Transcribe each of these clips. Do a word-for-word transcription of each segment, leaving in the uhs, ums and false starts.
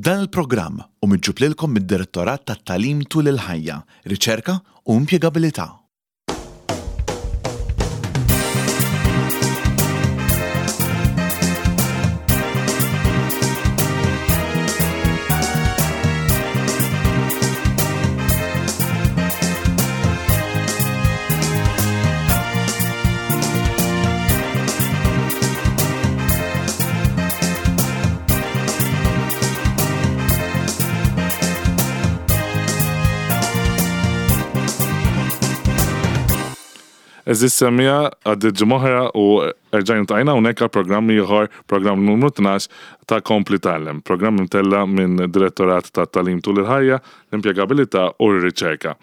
Dan il-programm hu miġjub lilkom mid-Direttorat tat-Tagħlim tul il-Ħajja, Riċerka u Impjegabilità. Għeżież semmiegħa, għaddiet ġimgħa oħra u erġajna ltqajna hawnhekk għal programm ieħor, programm numru tnax ta' Kompli Tgħallem, programm imtella' minn Direttorat ta' Tagħlim tul il-Ħajja, l-Impjegabilità u r-Riċerka.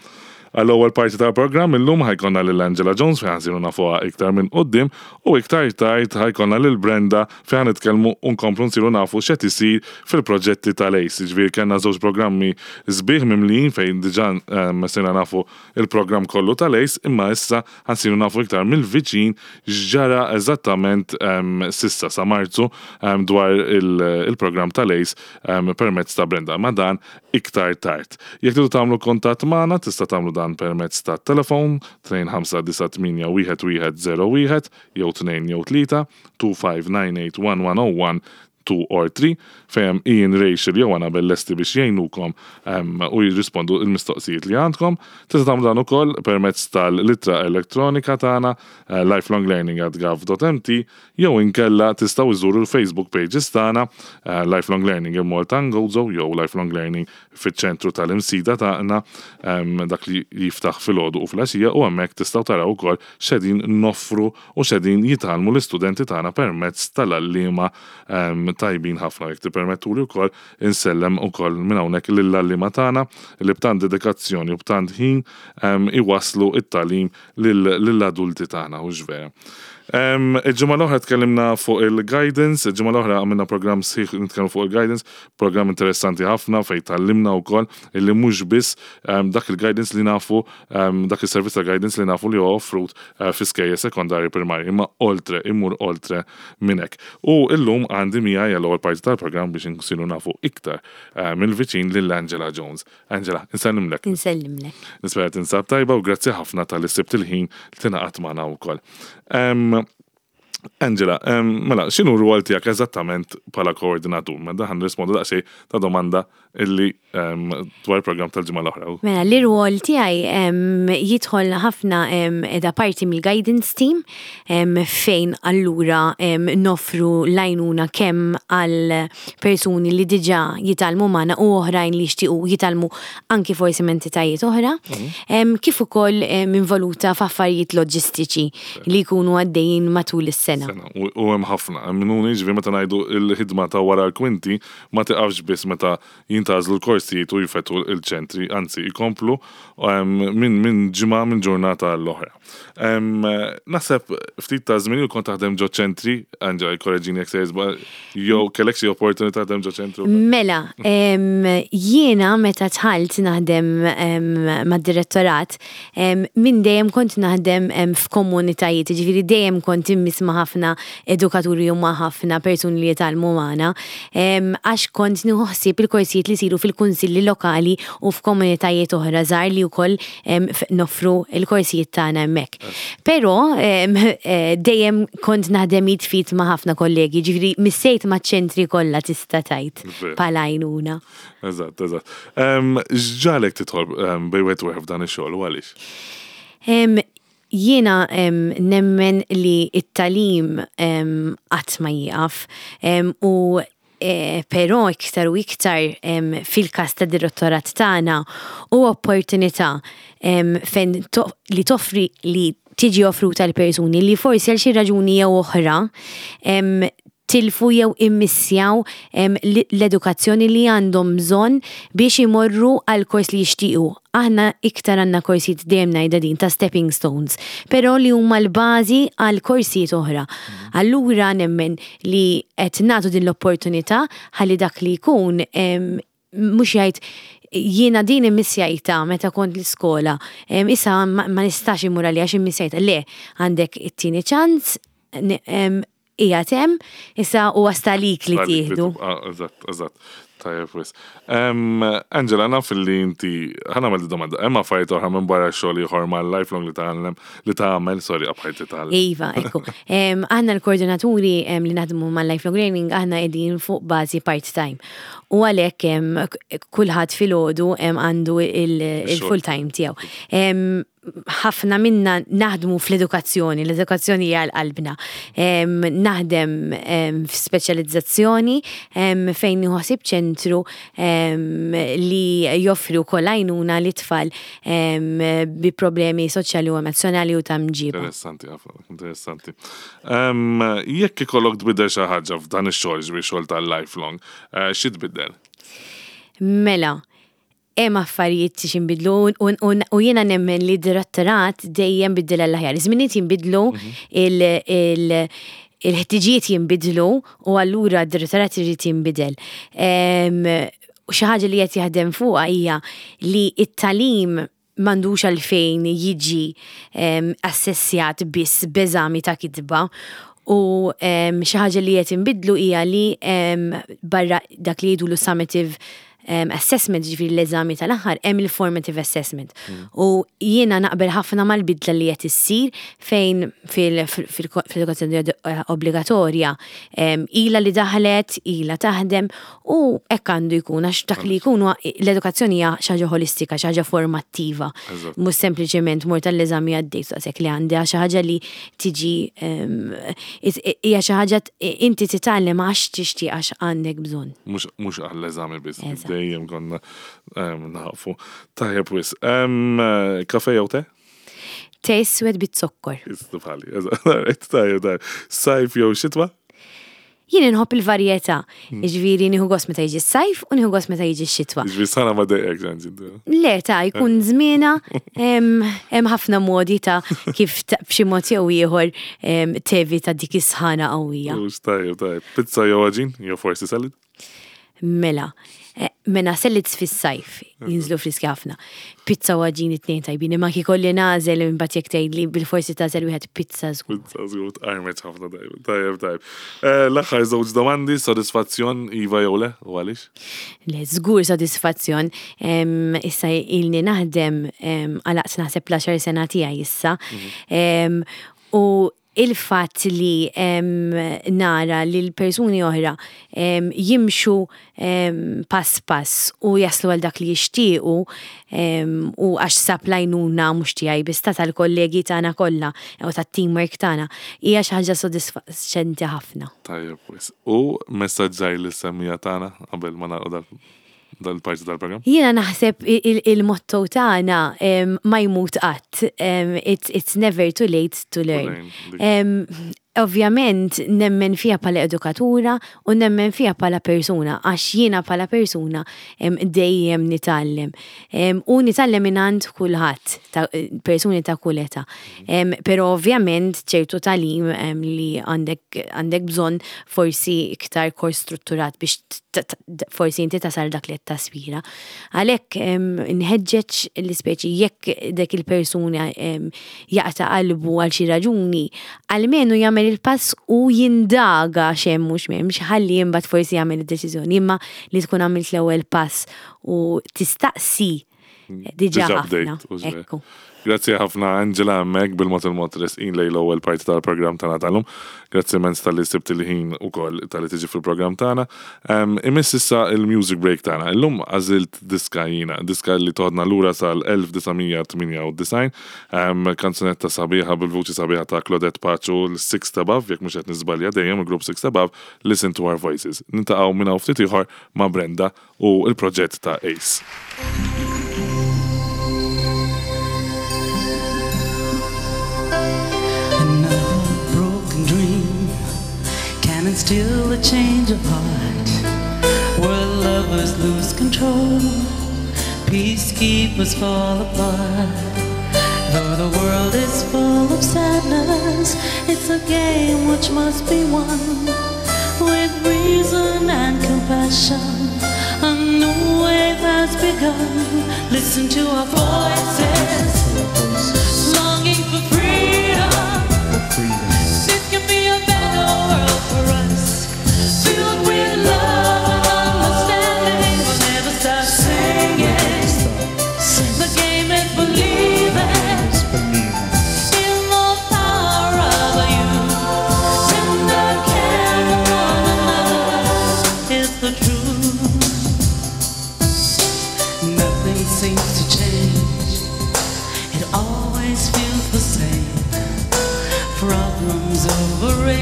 Għall-ewwel parti tal-programm illum ħa jkollna lil Angela Jones fejn ħa nsiru nafuha iktar minn quddiem u iktar tard ħa jkollna lil Brenda fejn ħa nitkellmu u nkomplu nsiru nafu x'qed isir fil-proġetti tal-ACE. Jiġifieri kellna żewġ programmi sbieħ mimlijin fejn diġà sirna nafu il-programm kollu tal-ACE, imma issa ħa nsiru nafu iktar mill-viċin x'ġara eżattament s'issa sa Marzu dwar il-programm tal-ACE permezz ta' Brenda. Ma dan iktar tard. Jekk tridu tagħmlu kuntatt magħna tista' tagħmlu dan permezz ta' telefon tnejn ħamsa disa' tmienja wieħed wieħed żero wieħed jew tnejn jew tlieta two five nine eight one one oh one two or three fejn hemm Ian, Rachel jew Annabel lesti biex jgħinukom u jirrispondu l-mistoqsijiet li għandkom. Tista' tagħmlu dan ukoll permezz tal-ittra elettronika tagħna lifelonglearning at gov dot mt jew inkella tistgħu iżuru l-Facebook pages tagħna Lifelong Learning in Malta and Gozo jew Lifelong Learning fiċ-ċentru tal-Imsida tagħna, dak li jiftaħ filgħodu u filgħaxija, u hemmhekk tistgħu taraw ukoll x'qegħdin noffru u x'qegħdin jitgħallmu l-istudenti tagħna permezz tal-għalliema tajbin ħafna. Jekk tippermettuli wkoll insellem ukoll minn hawnhekk lill-għalliema tagħna li b'tant dedikazzjoni u b'tant ħin iwasslu t-tagħlim lill-adulti tagħna, hux vera. Il-ġimgħa l-oħra tkellimna fuq il-guidance, il-ġimgħa l-oħra għamilna programm sħiħ nitkellmu fuq il-guidance, programm interessanti ħafna fejn tgħallimna wkoll illi mhux biss dak il-guidance li nafu, dak is-servizz ta' guidance li nafu li huwa offrut fi skejjel sekondarji primarji, imma oltre, immur oltre minn hekk. U illum għandi miegħi għall-ewwel parti tal-programm biex insiru nafu iktar mill-viċin lil Angela Jones. Angela, insellimlek. Insellimlek. Nispera tinsab tajba u grazzi ħafna tal-li sibt il-ħin li tingħaqad magħna wkoll. Angela, mela, x'inhu r-rwol tiegħek eżattament bħala koordinatur? Mela dan nirrispondu daqsxejn ta' domanda illi dwar il-programm tal-ġimgħa l-oħra. Mela, l-irwol tiegħi jidħol ħafna edha parti mill-guidance team fejn allura noffru l-għajnuna kemm għal persuni li diġà jitgħallmu magħna u oħrajn li jixtiequ jitgħallmu anki forsi minn entitajiet oħra, kif ukoll involuta f'affarijiet loġistiċi li jkunu għaddejjin matul is-sena. Sena. U hemm ħafna, minnu jiġifieri meta ngħidu l-ħidma ta' wara l-kwinti ma tiqafx biss meta jintgħażlu l-korsijiet u jfetħu l-ċentri, anzi jkomplu minn min ġimgħa minn ġurnata l-oħra. Naħseb ftit ta' żmien kont taħdem ġo ċentri, Angela jkorreġini jekk se jiżba, jew kellek xi opportunità taħdem ġo ċentru? Mela, jiena meta dħalt naħdem mad-direttorat, minn dejjem kont naħdem f'komunitajiet, jiġifieri dejjem kont immiss ma' ħafna edukaturi u ma' ħafna persuni li jitgħallmu magħna, għax kont nieħu ħsieb il-korsijiet li jsiru fil-kunsilli lokali u f'komunitajiet oħra żgħar li wkoll noffru l-korsijiet tagħna hemmhekk. Però dejjem kont naħdem id f'id ma' ħafna kollegi, ġifieri missejt maċ-ċentri kollha tista' tgħid bħala għajnuna. Eżatt, eżatt. X'ġagħlek tidħol bejn wieħed u ieħor f'dan ix-xogħol u għaliex? Jiena nemmen li t-tagħlim qatt ma jieqaf u però iktar u iktar fil-każ ta' direttorat tagħna u opportunità fejn li toffri li tiġi offruta l-persuni li forsi għal xi raġuni jew oħra tilfu jew immissjaw l-edukazzjoni li għandhom bżonn biex imorru għal kors li jixtiequ. Aħna iktar għandna korsijiet dejjem ngħidha din ta' stepping stones, però li huma l-bażi għal korsijiet oħra. Allura nemmen li qed nagħtu din l-opportunità ħalli dak li jkun mhux jgħid jiena din immissjajta meta kont l-iskola, issa ma nistax immur għalija għax immissjajta. Le, għandek it-tieni ċans, qiegħed hemm, issa huwa stalik li tieħdu. Eżatt, eżatt. Tajjeb wisq. Em, Angela, naf li inti, ħa nagħmel domanda, hemm affarijiet oħra minn barra xogħol ieħor mal-lifelong li tagħmel, li tagħmel, sorry, qabħajt li tagħmel. Iva, ekku. Em, Aħna l-koordinaturi em, li naħdmu mal-lifelong learning, aħna qegħdin fuq bażi part-time. U għalhekk em, k- kulħadd filgħodu em, għandu il-full time tiegħu. Em, ħafna minna naħdmu fl-edukazzjoni, l-edukazzjoni hija qalbna. Em, Naħdem em, f'speċjalizzazzjoni em, fejn nħossib ċentru em, li joffri wkoll għajnuna lit-tfal em, bi problemi soċjali u emozjonali u ta' mġiba. Interessanti, ħafna, interessanti. Em, Jekk ikollok tbiddel xi ħaġa f'dan ix-xogħol, ġifieri xogħol tal-lifelong, eh, xi tbiddel? Mela, hemm affarijiet x'inbidlu u, u, u jiena nemmen li direttorat dejjem biddel għall-aħjar. Iż-żminijiet jinbidlu, il, il, il-ħtiġijiet jinbidlu u allura d-direttorat irid jinbidel. Em, U xi ħaġa li qed jaħdem fuqha hija li it-tagħlim m'għandux għalfejn jiġi em, assessjat biss b'eżami ta' kitba u em, xi ħaġa li qed inbidlu hija li em, barra dak li jgħidulu summative um, assessment, ġifieri l-eżami tal-aħħar, hemm il-formative assessment. U jiena naqbel ħafna mal-bidla li qed issir fejn fil-edukazzjoni obbligatorja em, ila li daħlet, ila taħdem u hekk għandu jkun għax dak li jkun huwa- l-edukazzjoni hija xi ħaġa ħolistika, xi ħaġa formattiva. Eżatt. Mhux sempliċement mort tal-eżami għaddejt daqshekk li għandi xi ħaġa li tiġi em, hija xi ħaġa t- inti titgħallem għax tixtieq għax għandek bżonn. Mhux mhux għall-eżami biss, Eżatt. dejjem konna em, nafu. Tajjeb wisq. Em, Kafe jew te? Te iswed bit-zokkor. Istu bħali, eżatt. Tajjeb, tajjeb. Sajf jew xitwa? Jien inħobb il-varjetà, jiġifieri nieħu gost meta jiġi s-sajf u nieħu gost meta jiġi x-xitwa. Ġifieri sħana ma dejqek ġanġi. Le, ta' jkun żmiena, hemm hemm ħafna modi ta' kif ta- b'xi mod jew ieħor em, tevita dik is-sħana qawwija. Ux tajjeb, tajjeb. Pizza jew għaġin, jew forsi salad? Mela, eh, mela salads fis-sajf, jinżlu friski ħafna. Pizza u għaġin it-tnejn tajbin, imma kieku nagħżel imbagħad jekk tgħidli bil-forsi tagħżel wieħed pizza żgur. Pizza żgur tqarmet ħafna tajjeb. Tajjeb, tajjeb. Eh, L-aħħar żewġ domandi, sodisfazzjon iva jew le, u għaliex? Le, żgur sodisfazzjon. Em, Issa ilni naħdem em, għalaqt naħseb l-għaxar sena tiegħi issa. Em, U il-fatt li em, nara li l-persuni oħra em, jimxu em, pass pass u jaslu għal dak li jixtiequ em, u għax sab l-għajnuna mhux tiegħi biss ta' tal-kollegi tagħna kollha u tat-teamwork tagħna hija xi ħaġa sodisfaċenti ħafna. Tajjeb, wisq. U messaġġ żgħir lis-semmiegħa tagħna qabel ma nagħlqu dal- dal-parti tal-programm? Jiena naħseb il- il-motto tagħna em, ma jmut qatt. Em, It's, it's never too late to learn. learn. Em, Ovvjament nemmen fija bħala edukatura u nemmen fija bħala persuna, għax jiena bħala persuna em, dejjem nitgħallem. Em, U nitgħallem mingħand kulħadd, ta' persuni ta' kull età. Em, Però ovvjament ċertu tagħlim em, li għandek għandek bżonn forsi iktar kors strutturat biex t- t- forsi inti tasal dak li qed taspira. Għalhekk em, nħeġġeġ l-ispeċi jekk dak il-persuna em, jaqta' qalbu għal xi raġuni, almenu jagħmel il-pass u jindaga x'hemm mhux m'hemmx ħalli imbagħad forsi jagħmel id-deċiżjoni, imma li tkun għamilt l-ewwel pass u tistaqsi diġà Diġà ħafna. bdejt, u ġej. Ekku. Grazzi ħafna Angela hemmhekk bil-mod il-mod resqin lejn l-ewwel parti tal-programm tagħna tal-lum. Grazzi immens talli sibt il-ħin ukoll talli tiġi fil-programm tagħna. Um, Imiss issa il-music break tagħna. Illum għażilt diska jiena, diska li toħodna lura sal-elf disa' mija tmienja u disgħin, um, kanzunetta sabiħa bil-vuċi sabiħa ta' Claudette Pace u l-Six Above, jekk mhux qed niżbalja dejjem il-grupp Six Above, Listen to Our Voices. Niltaqgħu minn hawn ftit ieħor ma' Brenda u il-proġett ta' Ace. Another broken dream can instill a change of heart where lovers lose control, peacekeepers fall apart. Though the world is full of sadness, it's a game which must be won with reason and compassion. A new wave has begun. Listen to our voices, longing for freedom. This can be a better world for us, filled with love and understanding.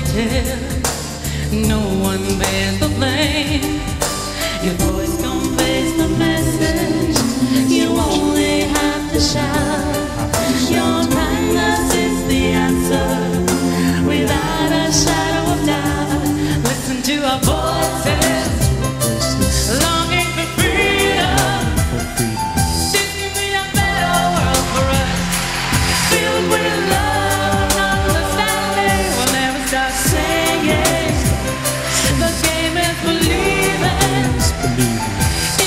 Tell. No one bears the blame. Your voice conveys the message. You only have to shout. Your kindness is the answer, without a shadow of doubt. Listen to our voices, longing for freedom. This can be a better world for us, filled with love and understanding. We'll never stop singing. The game is believing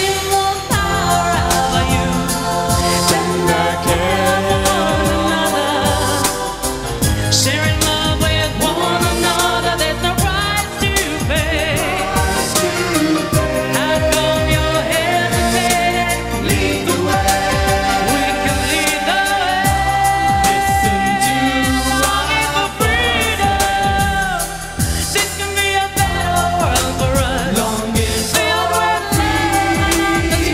in the power of our youth. Tender care for one another, sharing love with one another. There's no price to pay. How come you're hesitating? Lead the way. We can lead the way. Listen to longing for freedom. This can be a better world for us. Longing filled with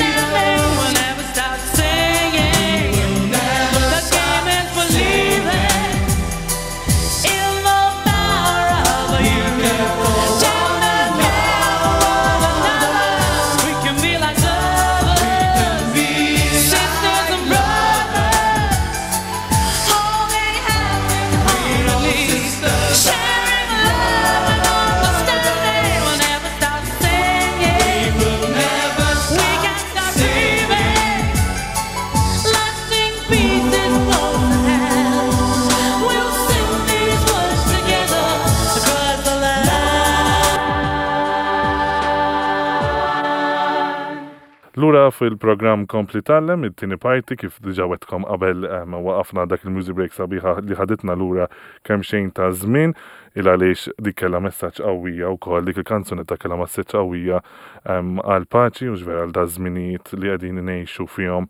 love and understanding. We'll never stop singing. The game is believing in the power of our youth. Tender care for one another. We can be like lovers, sisters and brothers, holding hands in harmony, sharing love and understanding. We'll never stop singing. We can't stop dreaming. Lasting peace is close at hand. We'll sing these words together across the land. Lura fil-programm Kompli Tgħallem, it-tieni parti, kif diġà wegħedtkom qabel em, waqafna dak il-music break sabiħa li ħaditna lura kemm xejn ta' żmien, il għaliex dik kellha messaġġ qawwija wkoll, dik il-kanzunetta kellha messaġġ qawwija em, għal paċi u ġvera għal da żminijiet li qegħdin ngħixu fihom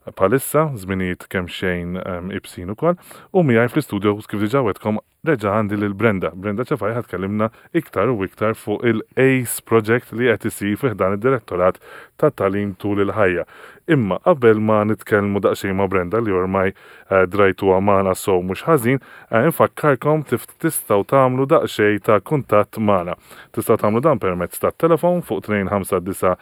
bħalissa, żminijiet kemm xejn em, ibsin ukoll. U miegħi fl-istudio, kif diġà wegħedtkom, reġa' għandi lil Brenda. Brenda Ċafaj ħa tkellimna iktar u iktar fuq il-ACE project li qed isir fi ħdan id-Direttorat ta' Tagħlim Tul il-Ħajja. Imma qabel ma nitkellmu daqsxejn ma' Brenda, li ormai eh, drajtu magħna so mhux ħażin, eh, infakkarkom tif tistgħu tagħmlu daqsxejn ta' kuntatt magħna. Tistgħu tagħmlu dan permezz tat-telefon fuq tnejn ħamsa disgħa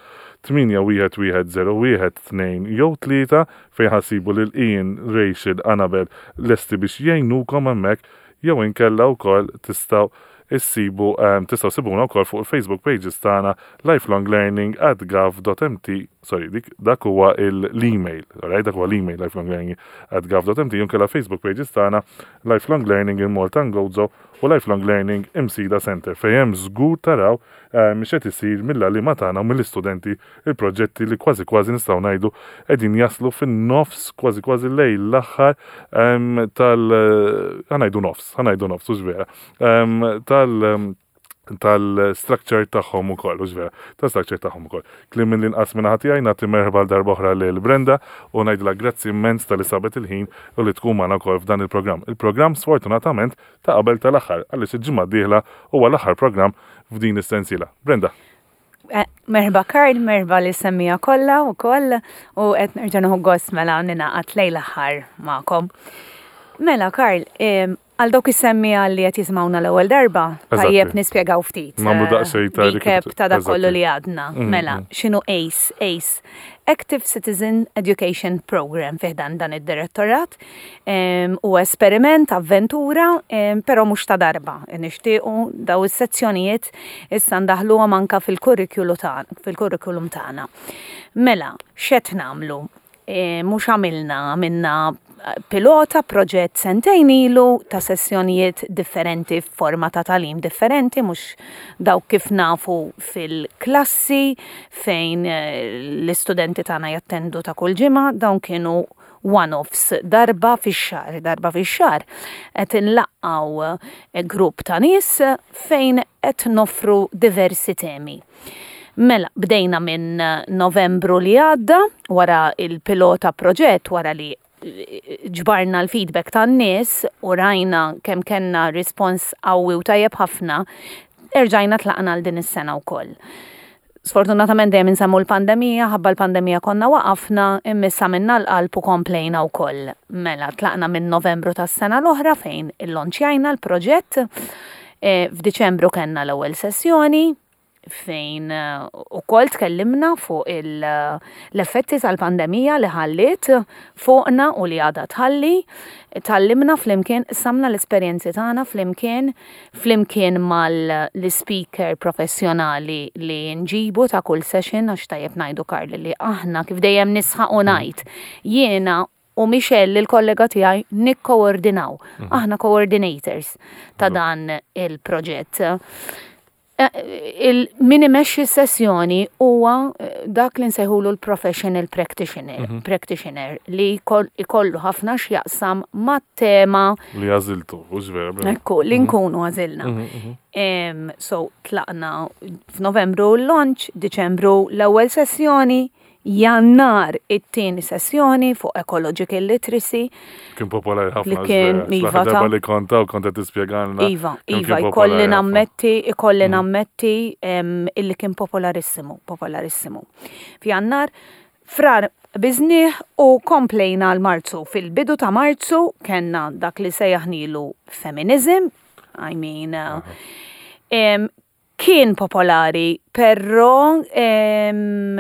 tmienja wieħed wieħed żero wieħed tnejn jew tlieta, fejn ħa ssibu lil Ian, Rachel, Annabel lesti biex jgħinukom hemmhekk, jew inkella wkoll tistgħu issibu um, tistgħu ssibuna wkoll fuq il-Facebook pages tagħna lifelonglearning at gov dot M T. Sorry, dik dak huwa l-email, alright, dak huwa l-email lifelonglearning at gov dot M T, jew inkella Facebook pages tagħna Lifelong Learning in Malta and Gozo u Lifelong Learning Imsida Center, fejn hemm żgur taraw eh, mhux qed isir mill-għalliema tagħna u mill-istudenti, il-proġetti li kważi kważi nistgħu ngħidu qegħdin jaslu fin-nofs, kważi kważi lejn l-aħħar em, tal ħa ngħidu nofs, ħa ngħidu nofs, hux vera, em, tal em, tal-structure tagħhom ukoll, hux vera, tal-structure tagħhom ukoll. Kliem minn l-inqas minn ħati għaj, nagħti merħba darba oħra lil Brenda u ngħidilha grazzi immens talli sabet il-ħin u li tkun magħna wkoll f'dan il-programm. Il-programm sfortunatament ta' qabel tal-aħħar, għaliex il-ġimgħa d-dieħla huwa l-aħħar programm f'din is-sensiela. Brenda. Eh, Merħba Karl, merħba lis-semmiegħa kollha u koll u qed nerġa' nieħu gost mela ningħaqad lejn l-aħħar magħkom. Mela Karl, em, għal dawk is-semmiegħa li qed jisimgħuna l-ewwel darba, Eżatti. tajjeb nispjegaw ftit. Nagħmlu eh, daqsxejn ta' recap ta' dak Eżatti. kollu li għadna. Mm, Mela, mm. x'inhu ACE? ACE, Active Citizen Education Program fi ħdan dan id-direttorat. Em, U esperiment, avventura, em, però mhux ta' darba. Nixtiequ daw is-sezzjonijiet issa ndaħluhom anka fil-kurrikulu tagħna, fil-kurrikulum tagħna. Mela, x'qed nagħmlu? E, mhux għamilna, għamilna pilota proġett sentejn ilu ta' sessjonijiet differenti f'forma ta' tagħlim differenti, mhux dawk kif nafu fil-klassi fejn eh, l-istudenti tagħna jattendu ta' kull ġimgħa, dawn kienu one-offs darba fix-xahar, darba fix-xahar. Qed inlaqqgħu eh, grupp ta' nies fejn qed noffru diversi temi. Mela, bdejna minn Novembru li għadda, wara il-pilota proġett, wara li ġbarna l-feedback tan-nies u rajna kemm kellna rispons qawwi u tajjeb ħafna, erġajna tlaqna għal din is-sena wkoll. Sfortunatament dejjem insemmu l-pandemija, ħabba l-pandemija konna waqafna, imma issa minna l-qalb u komplejna wkoll. Mela, tlaqna minn Novembru tas-sena l-oħra fejn illonċjajna l-proġett. Eh, F'Diċembru kellna l-ewwel sessjoni fejn eh, ukoll tkellimna fuq il- l-effetti tal-pandemija li ħalliet fuqna u li għadha tħalli. Tgħallimna flimkien, qsamna l-esperjenzi tagħna flimkien, flimkien mal-speaker professjonali li nġibu ta' kull session, għax tajjeb ngħidu, Karli, li aħna, kif dejjem nisħaq u ngħid, jiena u Michelle, il-kollega tiegħi, nikkoordinaw. Aħna coordinators ta' dan il-proġett. Eh, il min imexxi sessjoni huwa eh, dak li nsejħulu l-professional practitioner, practitioner li jkoll- ikollu ħafna x'jaqsam mat-tema Li għażiltu, hux vera, Brenda? Ekku, li nkunu għażilna. Em, So, tlaqna f'Novembru l-launch, Diċembru l-ewwel sessjoni, Jannar it-tieni sessjoni fuq ecological literacy. Kien popolari ħafna. Li kien, iva. Iva, ta' Darba li konta u konta tispjegalna. Iva, kemm iva, kien ikolli popolari ħafna. nammetti, ikolli nammetti em, illi kien popolarissimu, popolarissimu. F'Jannar, Frar bizniħ u komplejna l-Marzu. Fil-bidu ta' Marzu kellna dak li sejjaħnilu feminism, I mean, uh, em, kien popolari, però em,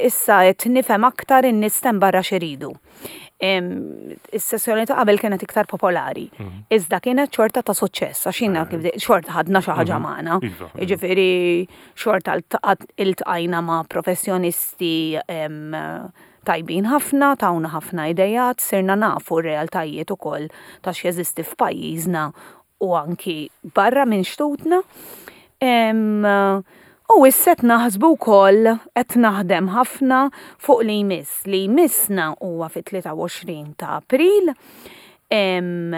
issa qed nifhem aktar in-nies hemm barra x'iridu. Em, Is-sessjoni ta' qabel kienet iktar popolari. Iżda kienet xorta ta' suċċess, għax jiena kif de- xorta ħadna xi ħaġa magħna. Iva, iva. Jiġifieri xorta iltaqat- iltqajna ma' professjonisti em, tajbin ħafna, tawna ħafna idejat, sirna nafu r-realtajiet ukoll ta' x'jeżisti f'pajjiżna u anki barra minn xtutna. Em, U issa qed naħsbu wkoll, qed naħdem ħafna fuq li jmiss. Li jmissna huwa fit-tlieta u għoxrin ta' April em,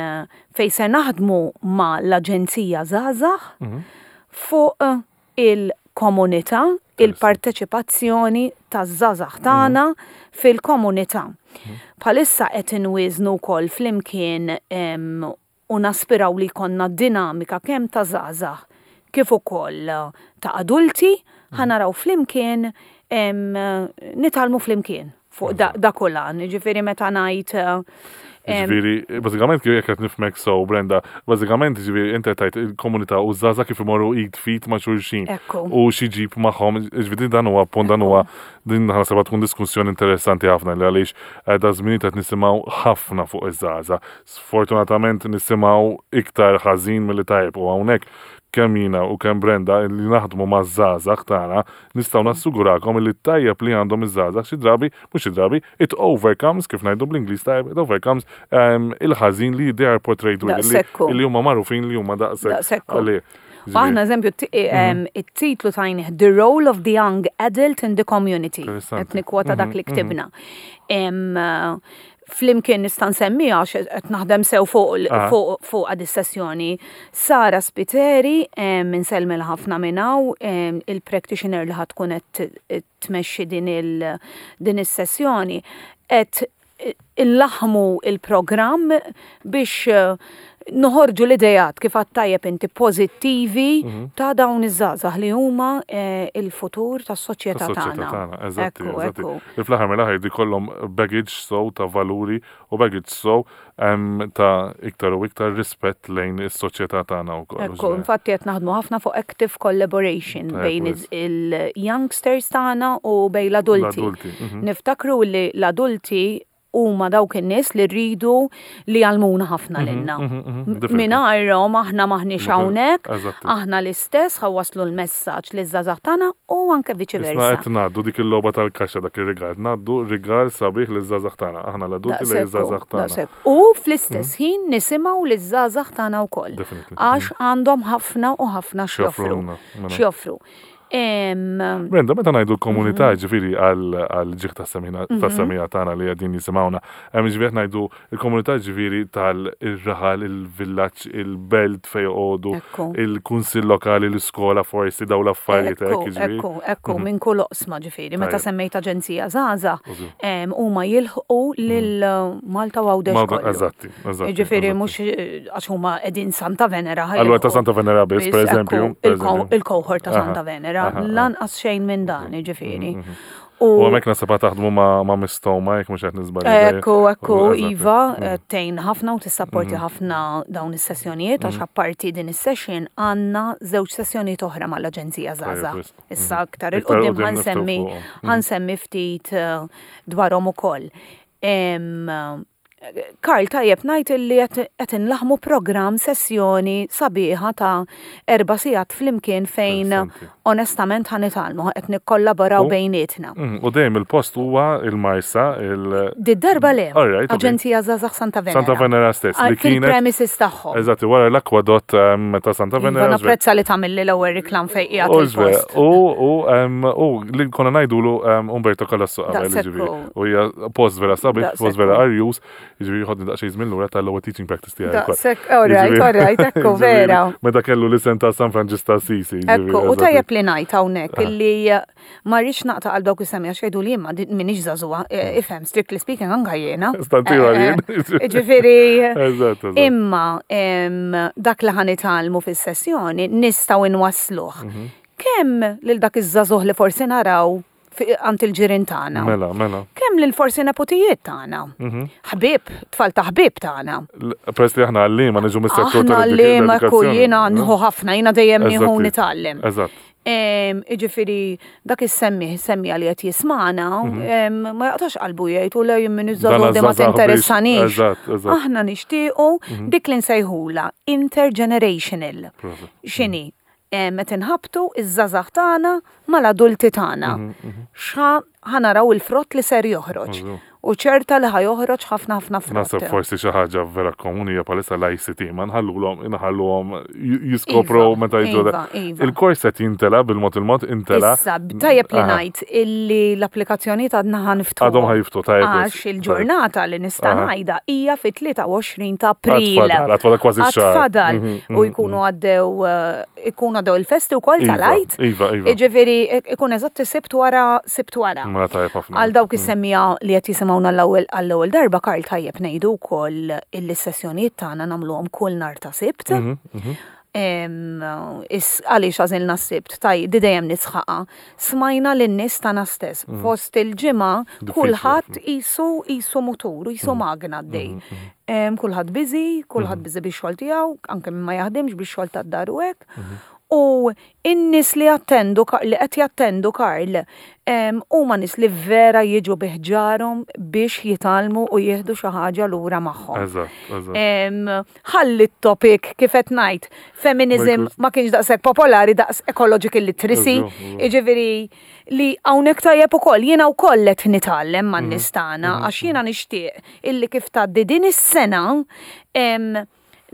fejn se naħdmu ma' l-Aġenzija Żgħażagħ fuq il-komunità, il-parteċipazzjoni taż-żgħażagħ tagħna fil-komunità. Bħalissa qed inwiżnu wkoll flimkien em, u naspiraw li jkollna dinamika kemm ta' żgħażagħ kif ukoll ta' adulti, ħa naraw flimkien em, nitgħallmu flimkien fuq da, da kolan. Ġifieri meta ngħid em, Ġifieri, bażikament kif jekk qed nifhmek so, Brenda, bażikament ġifieri inti tajt il-komunità u żgħażagħ kif imorru id f'id ma' xulxin. Ekku. U xi ġib magħhom, ġifieri dan huwa punt, dan huwa din naħseb tkun diskussjoni interessanti ħafna li għaliex eh, da żmien qed nisimgħu ħafna fuq iż-żgħażagħ. Sfortunatament nisimgħu iktar ħażin milli tajjeb u hawnhekk kemm jiena u kemm Brenda li naħdmu ma' żgħażagħ tagħna nistgħu nassugurakom li t-tajjeb li għandhom iż-żgħażagħ xi drabi, mhux xi drabi, it overcomes, kif ngħidu bl-Ingliż tajjeb, it overcomes um, il-ħażin li they are portrayed with, li- Daqsekku. li huma magħrufin li huma daqshekk. Daqsekku. Għalih. U aħna eżempju, t- em, it-titlu tajnih The Role of the Young Adult in the Community. Interessanti. Qed nikkwota dak li ktibna. Em, Flimkien nista' nsemmi għax qed naħdem sew fuq Ah. fuq fuq għad is-sessjoni. Sara Spiteri, em, insellmilha ħafna minn hawn, em, il-practitioner li ħa tkun qed tmexxi din il din is-sessjoni, qed illaħmu il-programm biex eh, noħorġu l-idejat, kif għedt tajjeb inti, pozittivi ta' dawn iż-żgħażagħ li huma eh, il-futur tas-soċjetà tas-soċjetà tagħna. tagħna, eżatti, Ekku, eżatti. ekku. Li fl-aħħar mill-aħħar di kollhom baggage so ta' valuri u baggage so em, ta' iktar u iktar rispett lejn is-soċjetà tagħna wkoll. Ekku, infatti qed naħdmu ħafna fuq active collaboration Tajjeb, bejn wis. il-youngsters tagħna u bejn l-adulti. L-adulti, mhm. Niftakru li l-adulti huma dawk in-nies li rridu li jgħallmuna ħafna lilna. mhm, mhm, definitely. Mingħajrhom aħna maħniex hawnhekk, Eżatti. aħna l-istess ħa nwasslu l-messaġġ liż-żgħażagħ tagħna u anke viċi Isna versa. qed ngħaddu dik il-logħba tal-kaxxa, dak ir-rigal, ngħaddu rigal sabiħ liż-żgħażagħ tagħna, aħna l-adulti li Daqshekk hu, żgħażagħ tagħna. daqshekk. U fl-istess ħin nisimgħu liż-żgħażagħ tagħna wkoll. Definitely. Għax għandhom ħafna u ħafna x'joffru. X'joffrulna, mela. X'joffru. Em, Brenda, meta ngħidu l-komunità, Mhm. ġifieri għal ġieħ tas-semina tas-semija tagħna li qegħdin jisimgħuna, hemm ġifieri qed ngħidu l-komunità ġifieri tal-raħal, il-villaġġ, il-belt fejn joqogħdu, Ekku. il-kunsill lokali, l-iskola forsi, daw l-affarijiet Ekku, hekk ġifieri. ekku, ekku, minn kull oqsma ġifieri. Meta Tajjeb. semmejt Aġenzija Żgħażagħ, Użu. em, huma jilħqu lil Malta u Għawdex Malta- kollu. Eżatti, eżatti. Ġifieri eżatti. mhux eh, għax huma qegħdin Santa Venera. ħa Allura ta' jilħqu Santa Venera biss, per biss, eżempju. ekku, per il-co- eżempju. Il-cohort ta' Aha, Santa Venera, aha, aha. lanqas xejn minn dan, ġifieri. U hemmhekk naħseb taħdmu ma' ma' Mistoma, jekk mhux qed niżbalja. Ekku, ekku, Eżatt. Iva, eh, tgħin ħafna u tissapporti ħafna dawn is-sessjonijiet, għax apparti din is-session għandna żewġ sessjonijiet oħra mal-Aġenzija Żgħażagħ. Tajjeb, wisq. Issa aktar Iktar 'il quddiem quddiem ħa nsemmi niftħu fuqhom. ħa nsemmi ftit eh, dwarhom ukoll. Em, Karl, tajjeb ngħid illi qed qed inlaħmu programm sessjoni sabiħa ta' erba' sigħat flimkien fejn Interessanti. onestament ħa nitgħallmu, qed nikkollaboraw U- bejnietna. Mm, U dejjem il-post huwa il-Marsa, il- Did-darba le, All right, okay. Aġenzija Żgħażagħ Santa Venera. Santa Venera stess, Ah, li kienet. Fil-premises tagħhom. Eżatt, wara l-akwadott em, ta' Santa Iva, Venera. napprezza li tagħmilli l-ewwel reklam fejn qiegħed U żver, il-post. u u em, u li konna ngħidulu em, Umberto Calasso qabel, Daqshekk ġifieri. hu. U hija post vera sabiħ, Daqshekk post vera hu. arjus, ġifieri ħodni daqsxejn żmien lura tal-ewwel teaching practice tiegħi. wkoll. Daqshekk, all right, Ġifieri- all right, ekku, ġifieri, vera. Meta kellu l-isem ta' San Franġisk ta' Assisi. ġifieri, Ekku, u eżatt. tajjeb li ngħid hawnhekk illi eh, ma rridx naqta' għal dawk is-semmiegħa xejdu li jien m'iniex żagħżugħa, eh, ifhem, strictly speaking, anka jiena. Stantiwa Eh, jien. eh, Ġifieri, Eżatt, eżatt. imma em, dak li ħa nitgħallmu fis-sessjoni nistgħu inwassluh. Mhm. Kemm lil dak iż-żagħżugħ li forsi naraw fi- għand il-ġirien tagħna. Mela, mela. Kemm lil forsi nepotijiet tagħna. Mhm. Ħbieb, tfal ta' ħbieb tagħna. L- Peress li aħna għalliema niġu mis-settur Aħna li ma tal-edukazzjoni. jiena nieħu ħafna, jiena dejjem nieħu Eżatti. nitgħallem. Eżatt. Em, Iġifieri, dak is-semmiegħ, semmiegħa li qed jismagħna, em, ma jaqtax qalbu jgħid u le jien minn Dan iż-żagħżugħ di ma iż-żgħażagħ biex- tinteressanix. Eżatt, eżatt. Aħna nixtiequ dik li nsejħula intergenerational. Proset. X'inhi? Em, Qed inħabtu iż-żgħażagħ tagħna mal-adulti tagħna. Xa ħa naraw il-frott li ser joħroġ. Eżatt. U ċerta li ħa joħroġ ħafna ħafna frott. Naħseb forsi xi ħaġa vera komuni hija bħalissa l-I C T, ma nħallulhom inħalluhom jiskopru Iva, meta jiġu. iva, iva. Il-kors qed jintela bil-mod il-mod intela. Issa, tajjeb li Aha. ngħid illi l-applikazzjoni għadna ħa niftħu. Għadhom ħa jiftħu, tajjeb. Għax il-ġurnata li nista' Aha. ngħidha hija fit-tlieta u għoxrin ta' April. Għad fadal, għad fadal kważi xahar. Għad fadal. Mhm, U jkunu għaddew eh, ikunu għaddew il-festi wkoll Iva, tal-Għid. Iva, iva. Jiġifieri ikun eżatt sibt wara sibt wara. Mela tajjeb ħafna. Għal dawk is-semmiegħa li qed jisimgħuna l-ewwel għall-ewwel darba, Karl, tajjeb ngħidu wkoll illi s-sessjonijiet tagħna nagħmluhom kull nhar ta' Sibt. Mhm, mhm. Em, is- Għaliex għażilna s-Sibt, taj, di dejjem nisħaqa. Smajna lin-nies tagħna stess. Fost il-ġimgħa Diffiċli kulħadd qisu qisu mutur, qisu magna għaddej. Em, Kulħadd busy, kulħadd busy bix-xogħol tiegħu, anke min ma jaħdimx bix-xogħol tad-dar u hekk. U in-nies li jattendu, li qed jattendu, Karl, em, huma nies li vera jiġu bi ħġarhom biex jitgħallmu u jieħdu xi ħaġa lura magħhom. Eżatt, eżatt. Em, Ħalli t-topic kif qed ngħid, feminism Ma ma kienx daqshekk popolari daqs ecological literacy. Eżatt, eżatt. Jiġifieri li hawnhekk tajjeb ukoll jiena wkoll qed nitgħallem man-nies tagħna Mhm. għax jiena nixtieq illi kif tgħaddi din is-sena em,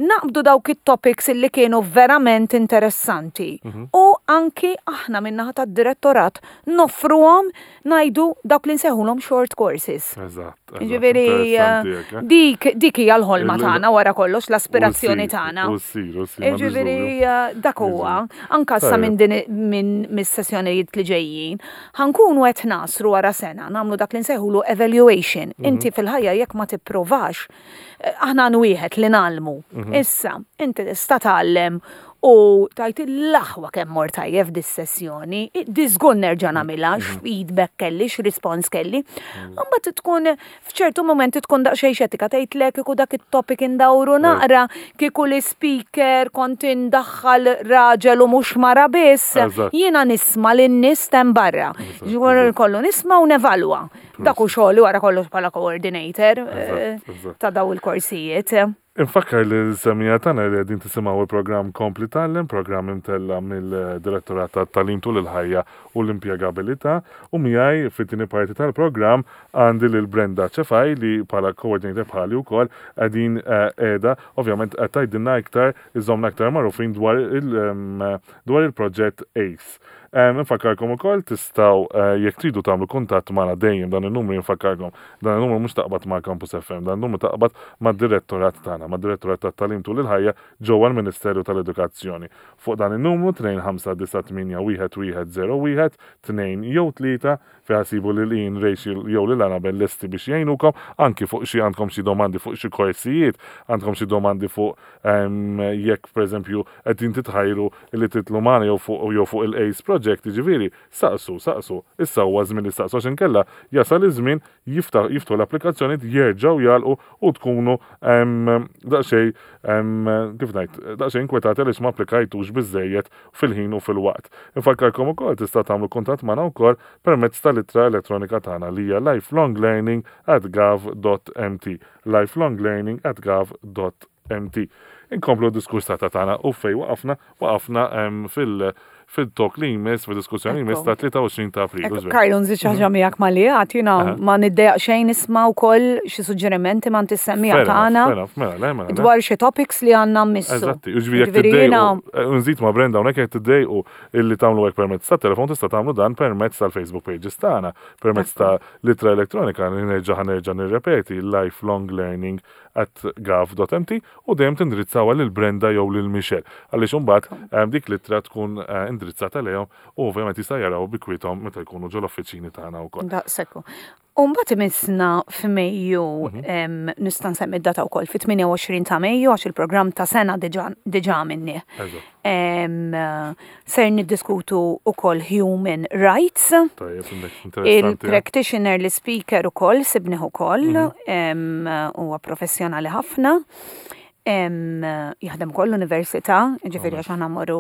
naqbdu dawk it-topics illi kienu verament interessanti. Mhm. U anki aħna min-naħa tad-direttorat noffruhom ngħidu dawk li nsejħulhom short courses. Eżatt. eżatt. Ġifieri, Interessanti hekk, eh? dik, dik hija l-ħolma Il- tagħna wara kollox, l-aspirazzjoni U ssir, tagħna. U ssir, u ssir. m'għandix Ġifieri, dubju. eh, dak huwa, anka sa Tajjeb. minn din minn mis-sessjonijiet li ġejjin, ħa nkunu qed nasru wara sena, nagħmlu dak li nsejħulu evaluation. Mhm. Inti fil-ħajja jekk ma tipprovax, eh, aħna għan wieħed li ngħallmu. Mhm. Issa, inti tista' tgħallem u tgħid l-aħwa kemm mort tajjeb dis-sessjoni, di żgur nerġa' nagħmilha, Mhm. x'feedback kelli, x'rispons kelli. Imbagħad tkun f'ċertu momenti tkun daqsxejn xettika tgħidlek kieku dak it-topic indawru naqra, kieku l-speaker kont indaħħal raġel u mhux mara biss. Eżatt. Jiena nisma' lin-nies hemm barra. Ġifieri kollu nisma' u nevalwa. Dak hu xogħli wara kollox bħala coordinator eh, Eżatt, eżatt. ta' daw il-korsijiet. Infakkar li l-semmiegħa tagħna li qegħdin tisimgħu il-programm Kompli Tgħallem, programm imtella mill-Direttorat tat-Tagħlim tul il-Ħajja u l-Impjegabilità, u miegħi fit-tieni parti tal-programm għandi lil Brenda Ċefaj li bħala coordinator bħali wkoll qegħdin qiegħda ovvjament qed tgħidilna iktar, iżommna iktar magħrufin dwar il- em, dwar il-proġett ACE. Em, Infakkarkom ukoll tistgħu eh, jekk tridu tagħmlu kuntatt magħna dejjem dan in-numru. Infakkarkom, dan in-numru mhux taqbad ma' Campus F M, dan in-numru taqbad mad-direttorat tagħna, mad-direttorat tat-Tagħlim tul il-Ħajja ġewwa l-Ministeru tal-Edukazzjoni. Fuq dan in-numru tnejn ħamsa disa' tmienja wieħed wieħed żero wieħed tnejn jew tlieta fejn Fejn ssibu lil Ian, Rachel jew lil Annabel lesti biex jgħinukom, anki fuq xi għandkom xi domandi fuq xi korsijiet, għandkom xi domandi fuq em, jekk pereżempju qegħdin titħajru li titilgħu magħna jew fuq jew fuq il-ACE Project, jiġifieri saqsu, saqsu. Issa huwa żmien li saqsu, għax inkella jasal iż-żmien jiftaħ jiftħu l-applikazzjoni, jerġgħu jagħlqu u tkunu em, daqsxejn em, kif ngħid, daqsxejn inkwetati għaliex ma applikajtux biżejjed fil-ħin u fil-waqt. Infakkarkom ukoll tista' tagħmlu kuntatt magħna wkoll permezz tal-ittra elettronika tagħna li hija lifelonglearning at gov dot M T, lifelonglearning at gov dot M T. Inkomplu d-diskurs ta' tagħna u fej waqafna waqafna em, fil- fil-talk li jmiss, fil-diskussjoni li jmiss ta' tlieta u għoxrin ta' April. Ekku, Karlu, nżid xi ħaġa miegħek malli għad, jiena Aha. ma niddejjaq xejn nisma' wkoll xi suġġerimenti ma tissemmija Fair enough, tagħna fair enough, mela, le, mela, le. dwar xi topics li għandna mmissu. Eżatti, u ġifieri jekk Ġifieri jiena- tiddejqu, nżid ma' Brenda hawnhekk, jekk tiddejqu illi tagħmlu hekk permezz ta' telefon, tista' tagħmlu dan permezz tal-Facebook pages tagħna, permezz ta' l-ittra elettronika li nerġa' ħa nerġa' nirrepeti, lifelonglearning at gov dot M T, u dejjem tindirizzawha lil Brenda jew lil Michelle. Għaliex imbagħad em, dik l-ittra tkun eh, indirizzata lejhom u ovvjament jista' jaraw bi kwiethom meta jkunu ġol-uffiċini tagħna wkoll. Daqshekk. U mbagħad imissna f'Mejju, Mhm. em, nista' nsemmi d-data wkoll, fit-tmienja u għoxrin ta' Mejju, għax il-programm ta' sena diġà diġà minni. Eżatt. Em, Ser niddiskutu ukoll human rights. Tajjeb, interessanti. Il-practitioner, l-speaker ukoll, sibnih ukoll, Mhm. em, huwa professjonali ħafna. Em, Jaħdem ukoll l-università, ġifieri għax aħna mmorru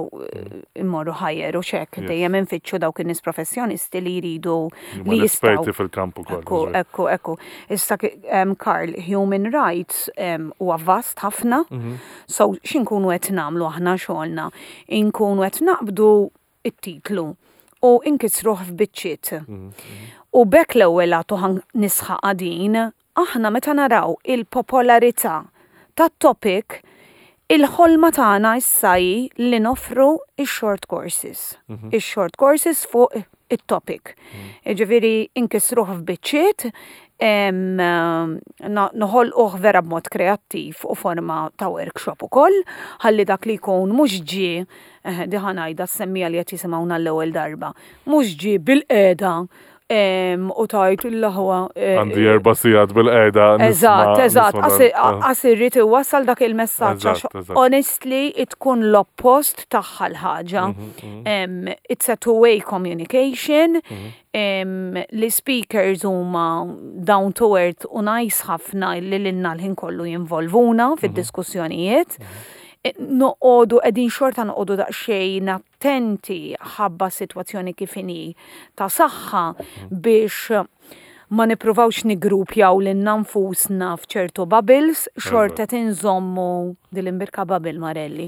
mmorru ħajjer u xek, Yes. dejjem infittxu dawk in-nies professjonisti li jridu Huma li jistgħu. l-esperti fil-kamp ukoll. Ekku, ekku, ekku. Issa, um, Karl, human rights um, huwa vast ħafna. Mhm. So, x'inkunu qed nagħmlu aħna xogħolna? Inkunu qed naqbdu it-titlu u inkisruh f'biċċiet. Mhm, U bekk l-ewwel għatu ħan nisħaq għadin, aħna meta naraw il-popolarità tat-topic, il-ħolma tagħna issa hi li noffru ix-short courses. Ix-short courses fuq it-topic. Ġifieri inkisruh f'biċċiet, em, na- noħolquh vera b'mod kreattiv u forma ta' workshop ukoll, ħalli dak li jkun mhux ġie, eh, di ħa ngħidha semmija li qed jisimgħuna l-ewwel darba, mhux ġie bilqiegħda em, u tajt il-laħwa. eh, Għandi erba' sigħat bilqiegħda. Eżatt, eżatt, nisma' għas irrid iwassal dak il-messaġġ għax Eżatt, eżatt. honestly tkun l-oppost tagħha l-ħaġa. Mhm, Em, It's a two-way communication. Mhm. Em, Li speakers huma down to earth u nice ħafna li lilna l-ħin kollu jinvolvuna Mhm. fid-diskussjonijiet. E, Noqogħdu qegħdin xorta noqogħdu daqsxejn attenti ħabba sitwazzjoni kif inhi ta' saħħa biex ma nippruvawx nigrupjaw lilna nfusna f'ċertu bubbles, xorta tinżommu dil-imbirka bubble Marelli.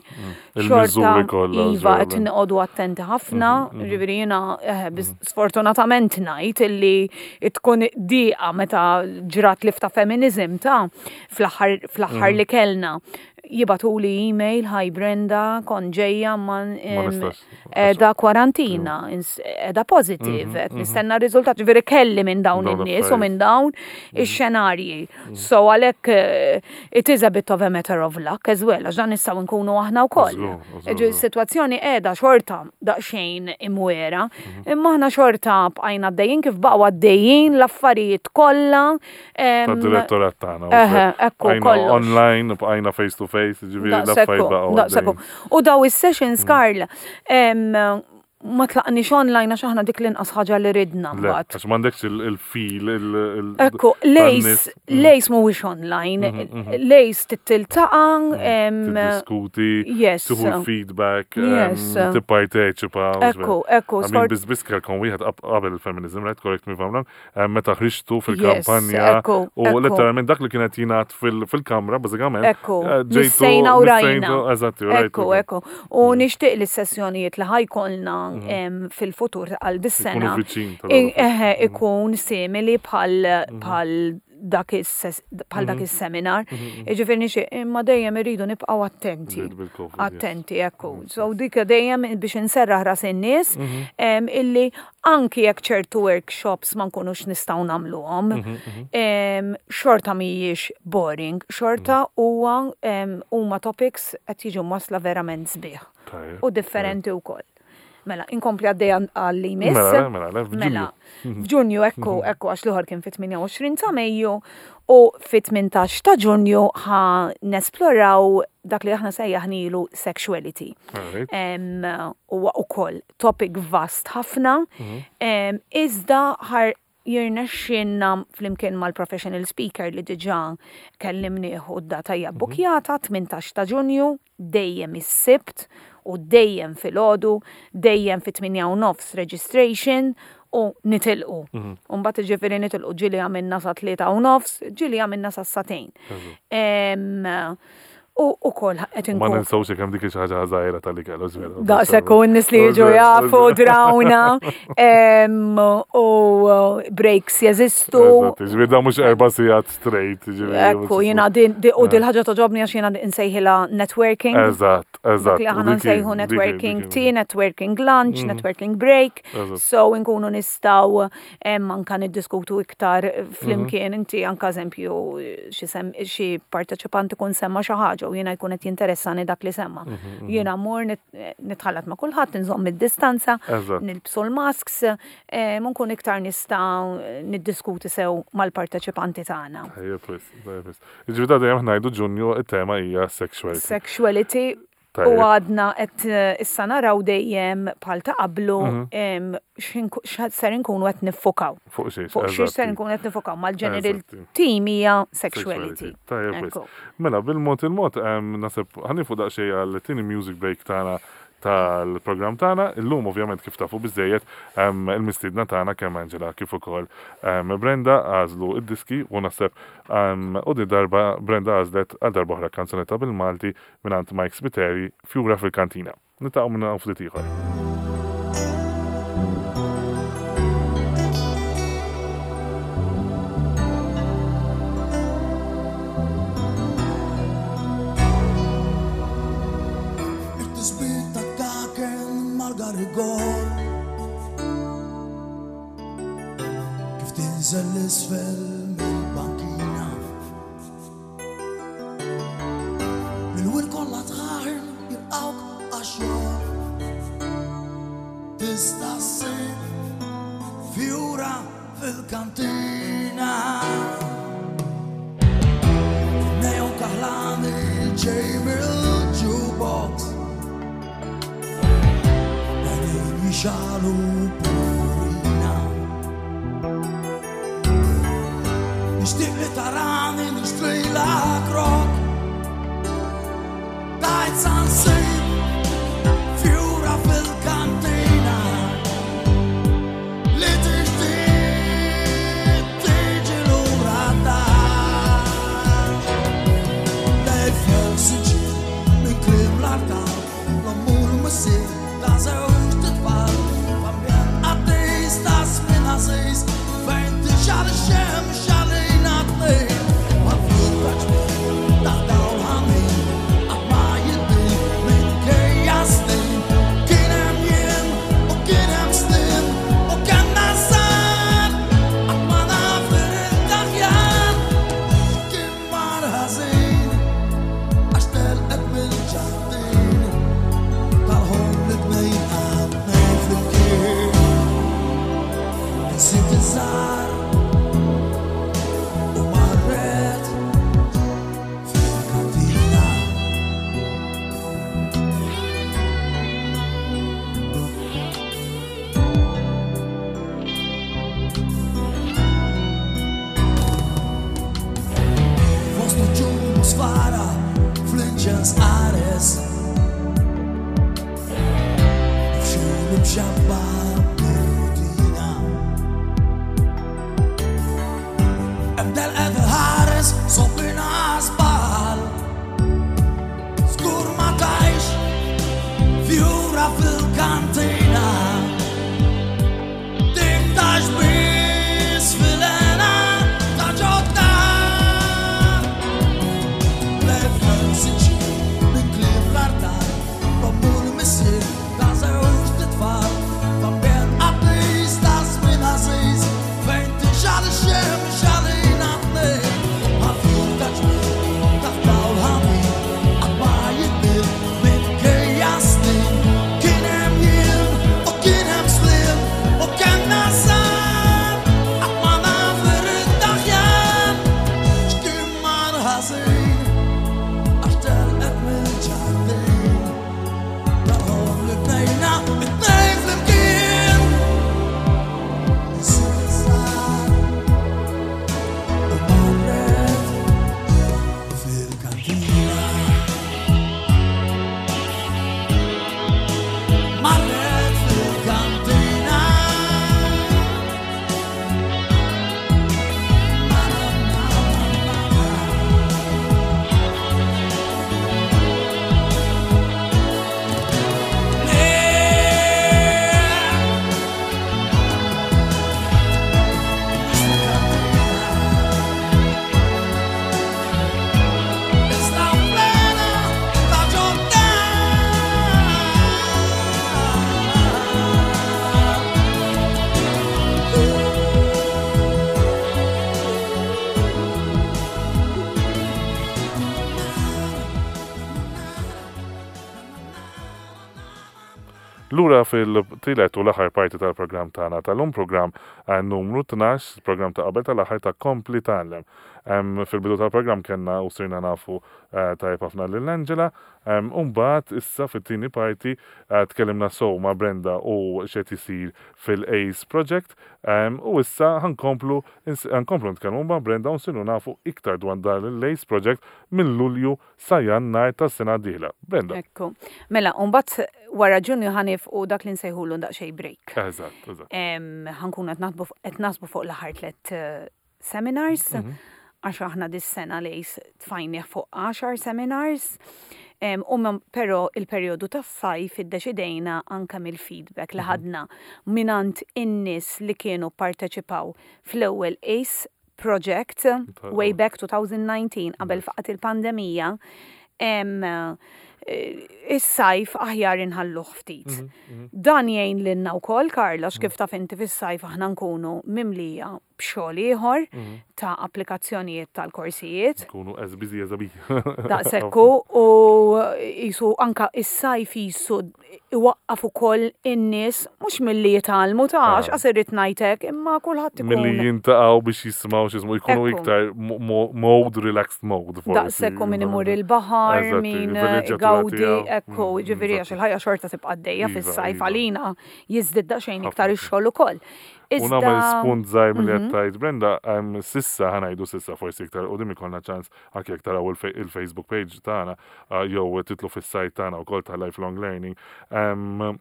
Il-miżuri kollha, Iva, qed żgur. noqogħdu attenti ħafna, ġifieri jiena eh, biz- sfortunatament ngħid illi tkun diqa meta ġrat li ta' feminism ta' fl-aħħar fl-aħħar li kellna. Jibagħtuli email, "Hi Brenda, kon ġejja ma Ma nistax. da kwarantina, da positive, qed nistenna r-riżultat, ġifieri kelli minn dawn Dawn in-nies u l-affarijiet. minn dawn ix-xenarji. So għalhekk eh, it is a bit of a matter of luck as well, għax dan nistgħu nkunu aħna wkoll. Żgur, żgur, Ġi Situazzjoni qiegħda xorta daqsxejn imwera, imma aħna xorta bqajna għaddejjin kif baqgħu għaddejjin l-affarijiet kollha. em, Ta' direttorat tagħna. Eħe, ekku, Bqajna kollox. online, bqajna face to face, ġifieri Daqshekk, l-affarijiet baqgħu daqshekk. għaddejjin. U daw is-sessions, Karl, em, ma tlaqniex online għax aħna dik l-inqas ħaġa li ridna Le, mbagħad. għax m'għandekx il-feel, il- Ekku, tan-nies. l-ACE, l-ACE mhuwiex online, l-ACE titiltaqa', em, Tiddiskuti, yes. tieħu l-feedback, Yes. em, tipparteċipa. u Ekku, ekku, I mean, sfort- biz biz kelkom wieħed qab- qabel il-feminism, right? Correct me if I'm wrong. Em, Meta ħriġtu fil-kampanja Yes, ekku, u ekku. letteralment dak li kienet jingħad fil- fil-kamra, bażikament. Ekku, eh, ġejtu- missejna u rajna. missejtu- Eżatti, rajtu. Ekku, ekku. U nixtieq li s-sessjonijiet li ħa jkollna em, fil-futur għal dis-sena Ikunu viċin tal- i- eħe, ikun simili bħal bħal dak is- bħal dak is-seminar. Ġifieri nixtieq, imma dejjem irridu nibqgħu attenti. Bil- bil-COVID, yes. Attenti, ekku. So dik dejjem biex inserraħ ras in-nies em, illi anki jekk ċertu workshops ma nkunux nistgħu nagħmluhom, em, xorta mhijiex boring, xorta huwa em, huma topics qed jiġu wasla verament sbieħ Tajjeb, u differenti wkoll. Mela, inkompli għaddej għal li jmiss. Mela, mela, mela, f'Ġunju. Mela, f'Ġunju ekku, ekku għax l-ieħor kien fit-tmienja u għoxrin ta' Mejju u fit-tmintax ta' Ġunju ħa nesploraw dak li aħna sejjaħnilu sexuality. Alright. Em, Huwa ukoll topic vast ħafna, em, iżda ħa jirnexxinna flimkien mal-professional speaker li diġà kellimnieh u d-data hija bukjata tmintax ta' Ġunju, dejjem is-Sibt u dejjem filgħodu, dejjem fit-tmienja u nofs registration u nitilqu. Umbagħad ġifieri nitilqu ġieli għamilna sa tlieta u nofs, ġieli għamilna sa sagħtejn. Em, U ukoll qed Ma inkun ninsawx kemm dik xi ħaġa żgħira tal-ikel, żvera. Daqshekk u n-nies li jiġu jafu drawna em, u breaks jeżistu. Ġifieri da mhux erba' sigħat straight. ġifieri, Ekku, jiena din di- u dil ħaġa togħġobni għax jiena nsejħilha networking. Eżatt, eżatt. Dak li aħna U dik hi- nsejħu dik hi- networking dik hi- tea, networking lunch, networking break. Eżatt. So nkunu nistgħu em, anka niddiskutu iktar flimkien inti anka eżempju xi sem- xi parteċipant ikun semma xi ħaġa u jiena jkun qed jinteressani dak li semma. Jiena mmur nit- nitħallat ma' kulħadd, nżomm id-distanza, Eżatt. nilbsu l-masks, em, nkun iktar nistgħu niddiskuti sew mal-parteċipanti tagħna. Tajjeb, wis, tajjeb, wis. Ġifieri da dejjem ngħidu Ġunju it-tema hija sexuality. Sexuality u Tajjeb. għadna qed eh, issa naraw dejjem bħal ta' qablu Mhm. em, x'inku- x'ser inkunu qed niffukaw. Fuq xiex. Fuq xiex ser eżatti. nkunu qed niffukaw mal-general Eżatti. theme hija sexuality. Tajjeb, wis. Ekku. Mela, bil-mod il-mod, em, naħseb ħa nieqfu daqsxejn għal-tieni music break tagħna tal-programm tagħna. Illum ovvjament kif tafu biżejjed em, il-mistiedna tagħna kemm Angela kif ukoll em, Brenda għażlu id-diski u naħseb em, u di darba Brenda għażlet għal darba oħra kanzunetta bil-Malti mingħand Mike Spiteri, Fjura fil-Kantina. Niltaqgħu minn hawn ftit ieħor. It-tisbit ta' kaken mal-garigor kif tinżel l-isfel mill-bankina Mill-wir kollha tħaħen jilqawk għax-xogħol Tista' ssib fjura fil-kantina Neon kaħlani ġej mill-jukebox Għajnejn jixgħelu purina Nixtieq li tarani nixtrilek rok Tajt sa nsib fjura fil-kantina Li tixtieq tiġi lura d-dar Lejfel siġil minn kliem l-artal L-omm u l-missier ta' żewġt itfal F'ambjent qaddis ta' żmien għażiż Fejn tixgħal ix-xemx għalina tnejn Mal-fjur ta' ġmiel ta' dawl ħanin Qatt ma jiddi minkejja snin Kien hemm jiem u kien hemm snin U kellna żgħar Qatt ma naf li ridt aħjar Kien mar ħażin għax telqet mill-ġardin tal-ħolm li bnejna tnejn flimkien. Nsiet iż-żgħar u marret fil-kantina. Fost uċum sfara fl-inċens qares Fxin imxabba bir-rutina Ebda l-qed ħares sobbina żball Żgur ma tajx fjura fil-kantina Dik tax biss fil-hena ta' ġodda Lefel siġil minn kliem l-artal L-omm u l-missier ta' żewġt itfal F'ambjent qaddis ta' żmien għażiż Fejn tixgħal ix-xemx għalina tnejn Għal-fjur ta' Lura fil-tielet u l-aħħar parti tal-programm tagħna tal-lum, programm eh, numru tnax, programm ta' qabel tal-aħħar ta' Kompli Tgħallem. Em, Fil-bidu tal-programm kellna u sirna nafu eh, tajjeb ħafna lil Angela, em, u mbagħad issa fit-tieni parti eh, tkellimna sew ma' Brenda u x'qed isir fil-ACE Project em, u issa ħa nkomplu ħa nkomplu nitkellmu ma' Brenda u nsiru nafu iktar dwar dan l-ACE Project minn Lulju sa Jannar tas-sena d-dieħla. Brenda. Ekku. Mela, mbagħad wara Ġunju ħa nieqfu dak li nsejħulu daqsxejn break. Eżatt, eżatt. Em, Ħa nkunu qed naħdmu fuq- qed naħsbu fuq l-aħħar tliet eh, seminars, għax aħna dis-sena l-ACE tfajnieh fuq għaxar seminars. Em, U mem- però il-perjodu tas-sajf iddeċidejna anka mill-feedback li ħadna mingħand in-nies li kienu parteċipaw fl-ewwel ACE Project way back twenty nineteen qabel faqgħet il-pandemija. em, eh, Is-sajf aħjar inħalluh ftit. Dan jgħin lilna wkoll, Karla, kif taf inti fis-sajf aħna nkunu mimlija b'xogħol ieħor ta' applikazzjonijiet tal-korsijiet. Kunu as busy as a bee. Daqshekk hu, u jisu anka is-sajf jisu iwaqqaf ukoll in-nies mhux milli jitgħallmu ta' Ah. għax irrid ngħidlek, imma kulħadd Milli ikun jiltaqgħu biex jisimgħu x'jismu jkunu Ekku. iktar mo- mo- mode, relaxed mode, forsi. Daqshekk hu, min imur il-baħar, Eżatti, min il-villeġġjatura gawdi, tiegħu. ekku, Mm, ġifieri għax eżatti. il-ħajja xorta tibqa' għaddejja Iva, fis-sajf, iva. għalina jiżdied daqsxejn iktar Ħafna. ix-xogħol ukoll. U nagħmel Iżda spunt żgħir milli qed tgħid Brenda, em, s'issa, ħa ngħidu s'issa, forsi iktar quddiem ikollna ċans anke jekk taraw il-fe- il-Facebook page tagħna uh, jew tidħlu fis-site tagħna wkoll ta' Lifelong Learning. Em,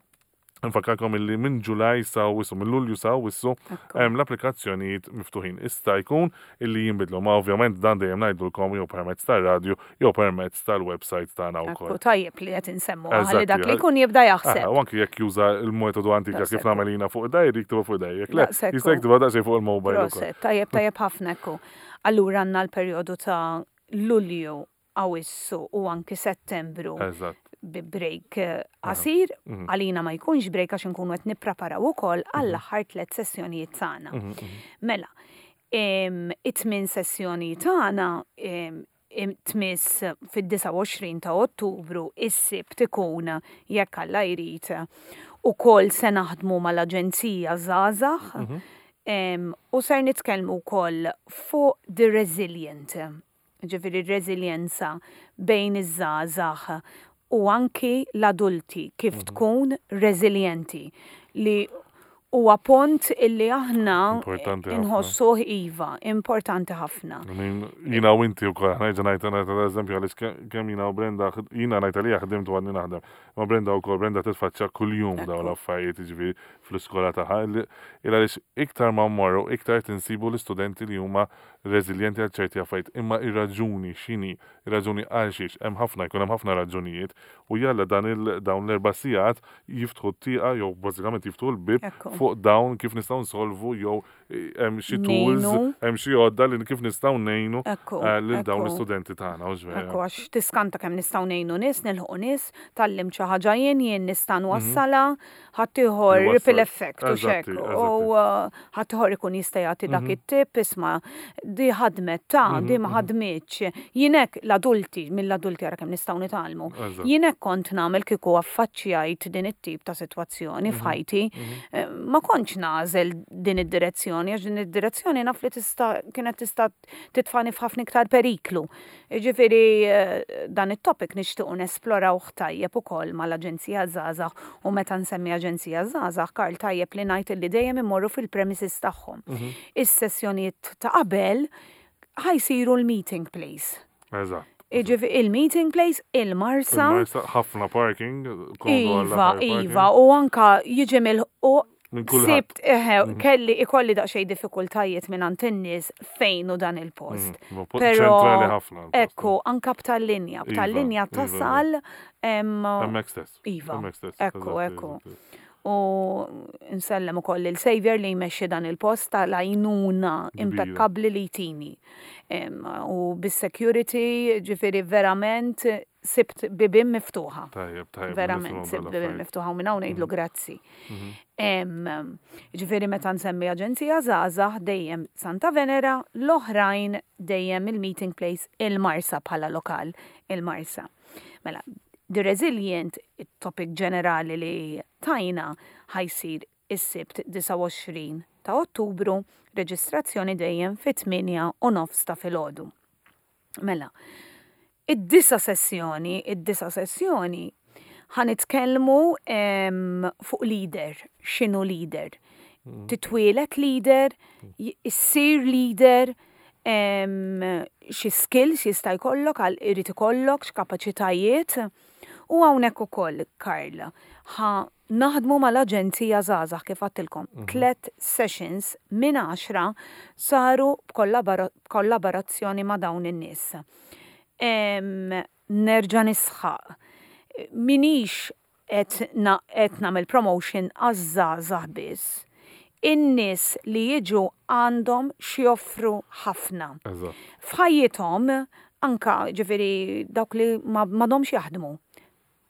Nfakkarkom illi minn Ġulaj sa Awwissu, minn Lulju sa Awwissu, Ekku. em, l-applikazzjonijiet miftuħin. Ista jkun illi jinbidlu, ma ovvjament dan dejjem ngħidulkom jew permezz tar-radju jew permezz tal-website tagħna Ekku, wkoll. tajjeb li qed insemmu Eżatti, ħalli dak li għal- jkun jibda Ah, jaħseb. u anki jekk juża il-metodu antika kif Daqshekk. nagħmel jiena fuq diary, jiktbu fuq diary. Jekk le, Daqshekk jista' hu. jiktibha daqsxejn fuq il-mobile ukoll. Proset, tajjeb, tajjeb ħafna, ekku. Allura għandna l-perjodu ta' Lulju, Awissu u anki Settembru Eżatt. bi break eh, qasir, Mhm. għalina ma jkunx break għax inkunu qed nippreparaw ukoll għall-aħħar tliet sessjonijiet tagħna. Mhm, Mela, em, it-tmien sessjoni tagħna em, em, tmiss fid-disgħa u għoxrin ta' Ottubru, is-Sibt ikun, jekk Alla jrid, ukoll se naħdmu mal-Aġenzija Żgħażagħ em, u ser nitkellmu wkoll fuq the resilient, ġifieri r-reżiljenza bejn iż-żgħażagħ u anki l-adulti, kif tkun reżiljenti, li huwa punt illi aħna Importanti ħafna. inħossuh, iva, importanti ħafna. I mean, jiena u inti u koll, ħa ngħid ngħid eżempju għaliex ke- kemm jiena u Brenda, jiena ngħid għalija ħdimt u għadni naħdem, ma Brenda u koll, Brenda titfaċċa kull-jum dawn l-affarijiet, ġifieri fl-iskola tagħha, il għaliex iktar ma mmorru, iktar tinsibu l-istudenti li huma reżiljenti għal ċerti affarijiet, imma ir-raġuni x'inhi, ir-raġuni għal xiex, hemm ħafna, jkun hemm ħafna raġunijiet, u jalla dan il dawn l-erba' sigħat jiftħu t-tieqa jew bażikament jiftħu l-bib Ekku. fuq dawn kif nistgħu nsolvu jew eh, hemm xi tools, Ngħinu. hemm xi għodda li kif nistgħu ngħinu Ekku, eh, lil dawn ekku. l-istudenti tagħna, u vera. Ekku, għax tiskanta kemm nistgħu ngħinu nies, nilħqu nies, tgħallimt xi ħaġa jien, jien nista' nwassalha, ħaddieħor Iwassal. ripple effect u Eżatti, xek. U uh, ħaddieħor ikun jista' jagħti dak it-tip, isma' di ħadmet ta' di ma ħadmitx. Jien hekk l-adulti, mill-adulti ara kemm nistgħu nitgħallmu. Eżatt. Jien hekk kont nagħmel kieku affaċċjajt din it-tip ta' sitwazzjoni f'ħajti. Eh, Ma kontx nagħżel din id-direzzjoni, għax din id-direzzjoni naf li tista' kienet tista' titfani f'ħafna iktar periklu. Ġifieri eh, dan it-topic nixtiequ nesplorawh tajjeb ukoll mal-Aġenzija Żgħażagħ, u meta nsemmi Aġenzija Żgħażagħ, Karl, tajjeb li ngħid li dejjem immorru fil-premises tagħhom. Is-sessjonijiet ta' qabel ħa jsiru l-meeting place. Eżatt. Ġifieri il-meeting place, il-Marsa. Il-Marsa, ħafna parking, komdu għall Iva, aħħar parking. iva, u anka jiġi mill u Minn kulħadd. sibt, eħe, kelli ikolli daqsxejn diffikultajiet minn għand in-nies fejn hu dan il-post. Mhm, po- Però, ċentrali ħafna l-post. Ekku, anka b'tal-linja, Iva, b'tal-linja iva, iva. tasal. em, Hemmhekk stess. Iva, Hemmhekk stess. ekku, eżatti, ekku. eżatti. U nsellem ukoll il-Xavier li jmexxi dan il-post tal-għajnuna Kbira. impeccabli li jtini. Em, U bis-security, ġifieri verament sibt bibien miftuħa. Tajjeb, tajjeb. Verament, nisimgħu sibt bibien dal-affarijiet. miftuħa u minn hawn ngħidlu grazzi. Mhm. Em, Ġifieri meta nsemmi Aġenzija Żgħażagħ dejjem Santa Venera, l-oħrajn dejjem il-meeting place il-Marsa bħala lokal il-Marsa. Mela, The Resilient, it-topic ġenerali li tajna, ħa jsir is-Sibt disgħa u għoxrin ta' Ottubru, reġistrazzjoni dejjem fit-tmienja u nofs ta' filgħodu. Mela, id-disa sessjoni, id-disa sessjoni ħa nitkellmu em, fuq leader, x'inhu leader. Titwieled leader, j- issir leader, em, xi skills jista' jkollok, għal irid ikollok, x'kapaċitajiet. U hawnhekk ukoll, Karl, ħa naħdmu mal-Aġenzija Żgħażagħ, kif għedtilkom. Tlet sessions minn għaxra saru b'kollabora- b'kollaborazzjoni ma' dawn in-nies. Em, Nerġa' nisħaq. Minix qed na- qed nagħmel promotion għaż-żgħażagħ biss. In-nies li jiġu għandhom x'joffru ħafna. Eżatt. F'ħajjithom, anka ġifieri dawk li ma m'għadhomx jaħdmu,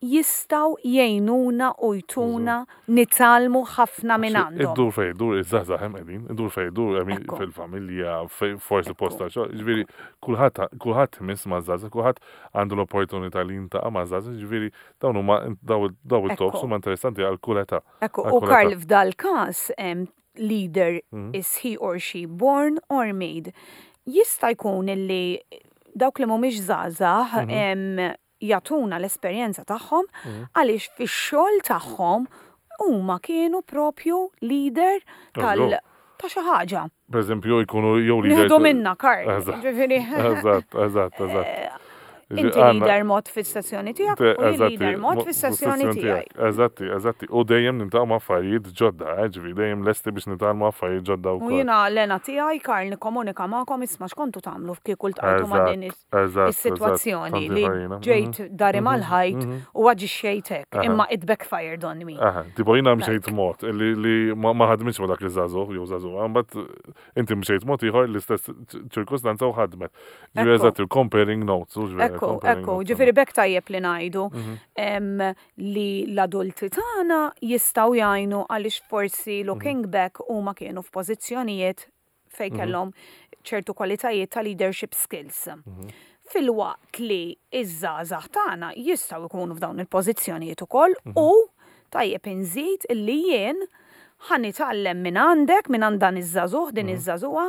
jistgħu jgħinuna u jtuna nitgħallmu ħafna minn għandhom. Iddur fej, iddur, iż-żgħażagħ hemm qegħdin, iddur fej, iddur, I mean, Ekku. fil-familja, fej- forsi Ekku. posta xogħol, ġifieri kulħadd kulħadd imiss ma' żgħażagħ, kulħadd għandu l-opportunità li jiltaqa' ma' żgħażagħ, ġifieri dawn huma daw daw it-talks Ekku. huma interessanti għal kull età. Ekku, Għal u kull Karl, età. f'dal każ em, leader, Mhm. is he or she born or made? Jista' jkun illi dawk li mhumiex żgħażagħ Mhm. em, jagħtuna l-esperjenza tagħhom għaliex fix-xogħol tagħhom huma kienu propju leader tal Eżatt. ta' xi ħaġa. Per eżempju, jkunu jew leader. Nieħdu minna, Karl. Eżatt. Ġifieri, Eżatt, eżatt, eżatt. inti leader mod fis-sessjoni tiegħek u jien leader mod fis-sessjoni tiegħi. Eżatti, eżatti. U dejjem niltaqgħu ma' affarijiet ġodda, eh, ġifieri dejjem lesti biex nitgħallmu affarijiet ġodda U wkoll. jiena l-hena tiegħi, Karl, nikkomunika magħkom, isma' x'kontu tagħmlu kieku ltqajtu ma' din is- Eżatt, is-sitwazzjoni eżatt, li farina. ġejt dari mal-ħajt u aġixxejt hekk, Aha. imma it backfired on me. Aha, tipo jiena mxejt mod li li ma ma ħadmitx ma dak iż-żagħżugħ jew żagħżugħ, mbagħad inti mxejt mod ieħor, l-istess ċirkustanza, u ħadmet. Ġifieri Ekku. eżatt, il-comparing notes, u ġifieri Ekku, comparing ekku, notes. ġifieri bekk tajjeb li ngħidu Mhm. em, li l-adulti tagħna jistgħu jgħinu għaliex forsi Mhm. looking back huma kienu f'pożizzjonijiet fejn Mhm. kellhom ċertu kwalitajiet ta' leadership skills. Mhm. Filwaqt li iż-żgħażagħ tagħna jistgħu jkunu f'dawn il-pożizzjonijiet ukoll Mhm. u tajjeb inżid illi jien ħa nitgħallem minn għandek, minn għand dan iż-żagħżugħ, din iż-żagħżugħa,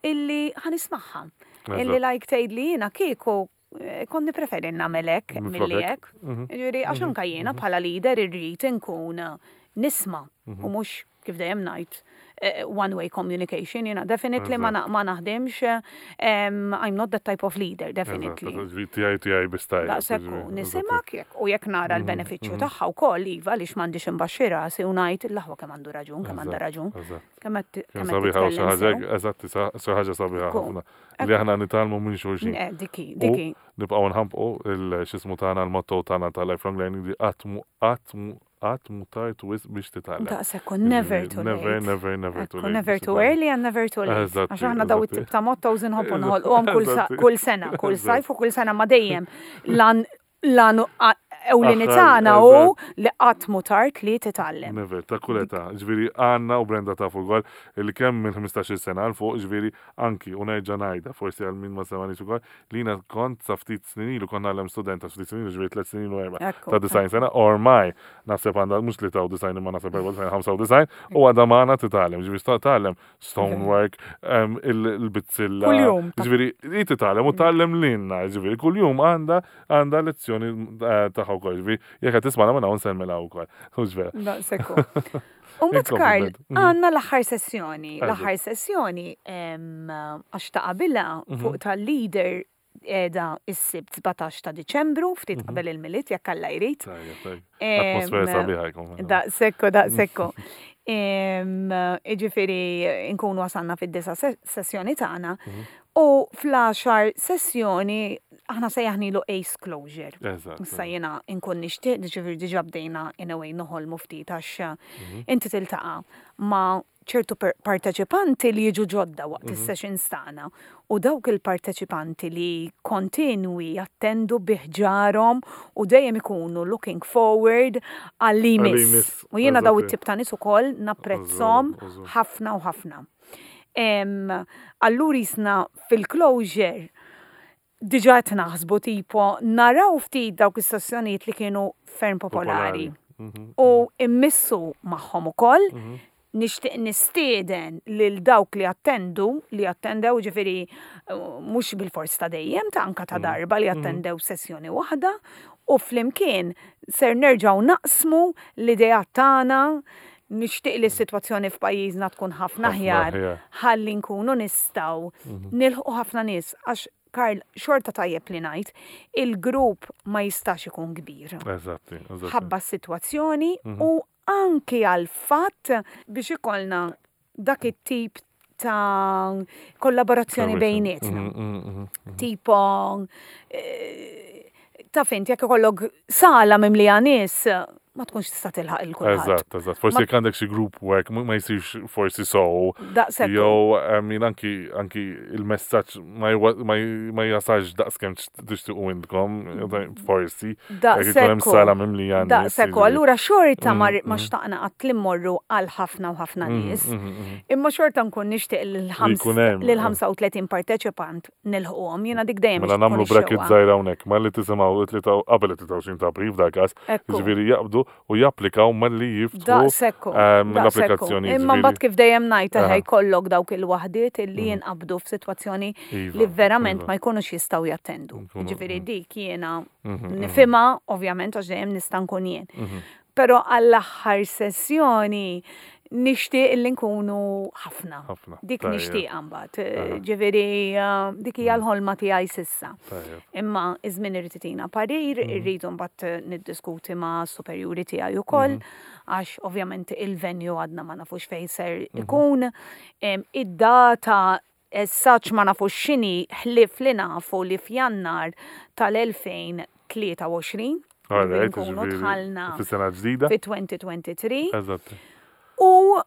illi ħa nismagħha. Illi Eżatt. like tgħid li jiena kieku eh, kont nippreferi nagħmel hekk Minflok milli hekk. hekk. Mhm. Ġifieri għax anka jiena bħala leader irrid inkun nisma' Mhm. u mhux kif dejjem ngħid eh, one way communication, jiena definitely ma na- ma naħdimx, em, I'm not that type of leader, definitely. Eżatt, ġifieri tiegħi tiegħi biss tajjeb. Daqshekk ġifieri, nisimak jekk u jekk nara Mhm, l-benefiċċju tagħha wkoll, iva, għaliex m'għandix imbaxxi rasi u ngħid l-aħwa kemm għandu raġun, kemm għandha Eżatt, raġun, eżatt. kemm qed Kemm kemm qed sabiħa u xi titkellem ħaġa, sew. eżatti, sa- xi ħaġa sabiħa Ekku. ħafna. Li aħna nitgħallmu minn xulxin. Eh, Diki, U diki. nibqgħu nħambqu il-xismu tagħna, l-motto tagħna ta' lifelong learning, li qatt mu qatt mu qatt mu tard wisq biex titgħallem. Daqshekk, never too Never, late. never, never too Ekku, late. never biex too titgħallem. early and never too late. Eżatti, Għax aħna daw eżatti. it-tip ta' mottos inħobbu noħolquhom kull sa- Eżatti. kull sena, kull Eżatt. sajf u kull sena, ma dejjem l-għan l-għan ewlieni Aħħar, tagħna hu li qatt mu tard li titgħallem. Never, ta' kull età. Ġifieri għanna u Brenda tafu wkoll li kemm minn ħmistax-il sena 'l fuq, ġifieri anki u nerġa' ngħidha forsi għal min ma semgħanix ukoll, li jiena kont sa ftit snin ilu kont ngħallem studenta, ftit snin ilu, ġifieri tliet snin u erba' Ekku, ta' disgħin sena, ormai naħseb għandha mhux li ta' disgħin imma naħseb erba' disgħin, ħamsa u disgħin, u għadha magħna titgħallem, ġifieri sta tgħallem stonework, em, il- il-bizzilla. Kuljum. Ġifieri hi titgħallem u tgħallem lilna, ġifieri kuljum għandha għandha lezzjoni eh, tagħha wkoll, ġifieri jekk qed tismagħna minn hawn nsellmilha wkoll. Mhux vera. Daqshekk. U mbagħad, Karl, Il-compliment. Mhm. għandna l-aħħar sessjoni. Eżatt. L-aħħar sessjoni em, għax ta' qabilha Mhm. fuq tal-leader qiegħda is-Sibt sbatax ta' Diċembru, ftit Mhm. qabel il-Milied, jekk Alla jrid. Tajjeb, tajjeb. Em, Atmosfera sabiħa jkun. Daqshekk, daqshekk. Iġifieri nkunu wasalna fid-disa se- sessjoni tagħna Mhm. u fl-għaxar sessjoni aħna sejjaħnilu Ace Closure. Eżatt. Issa jiena nkun nixtieq, ġifieri diġà bdejna in a way noħolmu ftit għax Mhm. inti tiltaqa' ma' ċertu per- parteċipanti li jiġu ġodda waqt Mhm. is-sessions tagħna u dawk il-parteċipanti li kontinwi jattendu bi ħġarhom u dejjem ikunu looking forward għal Għal imiss. imiss, U jiena daw eżatti. it-tip ta' nies ukoll napprezzhom Użu, użu. ħafna u ħafna. Em, Allura jisna fil-closure Diġà qed naħsbu tipo naraw ftit dawk is-sessjonijiet li kienu ferm popolari. Mhm, U immissu magħhom ukoll. mhm. Nixtieq nistieden lil dawk li attendu, li attendew ġifieri eh, mhux bil-fors ta' dejjem, ta' anka ta' Mhm. darba li attendew sessjoni waħda u flimkien ser nerġgħu naqsmu l-idea tagħna. Nixtieq li s-sitwazzjoni f'pajjiżna tkun ħafna Ħafna aħjar aħjar. ħalli nkunu nistgħu Mhm. nilħqu ħafna nies għax, Karl, xorta tajjeb li ngħid, il-grupp ma jistax ikun kbir Eżatti, eżatti. ħabba s-sitwazzjoni Mhm. u anki għal fatt biex ikollna dak it-tip ta' kollaborazzjoni bejnietna. Mhm, mhm, mhm. Tipo, eh, ta' fint, jekk ikollok sala mimlija nies, ma tkunx tista' tilħaq il kulħadd. Eżatt, eżatt. Forsi Ma- jekk għandek xi group work ma ma jsirx forsi so. Daqshekk. Jew I mean, anki anki il-messaġġ ma jwa- ma j- ma jasalx daqskemm tixtiequ intkom, forsi. Jekk ikun hemm Daqshekk. sala mimlija nies. Daqshekk. jiġifieri. Allura xorta ma Mm, ma mm. xtaqna qatt li mmorru għal ħafna u ħafna Mhm, nies. mhm, mhm. Imma xorta nkun nixtieq Li jkun hemm, lil ħamsa u tletin parteċipant nilħquhom. Jiena dik dejjem Mela tkun nagħmlu bracket ix-xewqa. żgħira hawnhekk, malli tisimgħu it-tlieta qabel it-tlieta u għoxrin ta' April f'dal każ, Ekku. jiġifieri jaqbdu u japplikaw malli jiftħu Daqshekk. ehm, Daqshekk. l-applikazzjoni. Imma jiġifieri- mbagħad kif dejjem ngħid Aha. eħe jkollok dawk il-waħdiet illi jinqabdu f'sitwazzjoni Iva, li verament iva. ma jkunux jistgħu jattendu. Nkunu- Ġifieri dik jiena Mhm, mhm, nifhimha ovvjament għax dejjem nista' nkun jien. mhm. Però għall-aħħar sessjoni nixtieq illi nkunu ħafna. Ħafna. Dik Tajjeb. nixtieq mbagħad. Aha. Ġifieri eh, dik hija l-ħolma tiegħi s'issa. Tajjeb. Imma iż-żmien irid itina parir, Mhm. irridu mbagħad niddiskuti ma' superjuri tiegħi ukoll, Mhm. għax ovvjament il-venue għadna ma nafux fejn ser Mhm. ikun. Em, Id-data essaċ ma nafux x'inhi ħlif li nafu li f'Jannar tal-elfejn u tlieta u għoxrin. All right, Nkunu jiġifieri dħalna fis-sena ġdida. fi elfejn u tlieta u għoxrin. Eżatt. U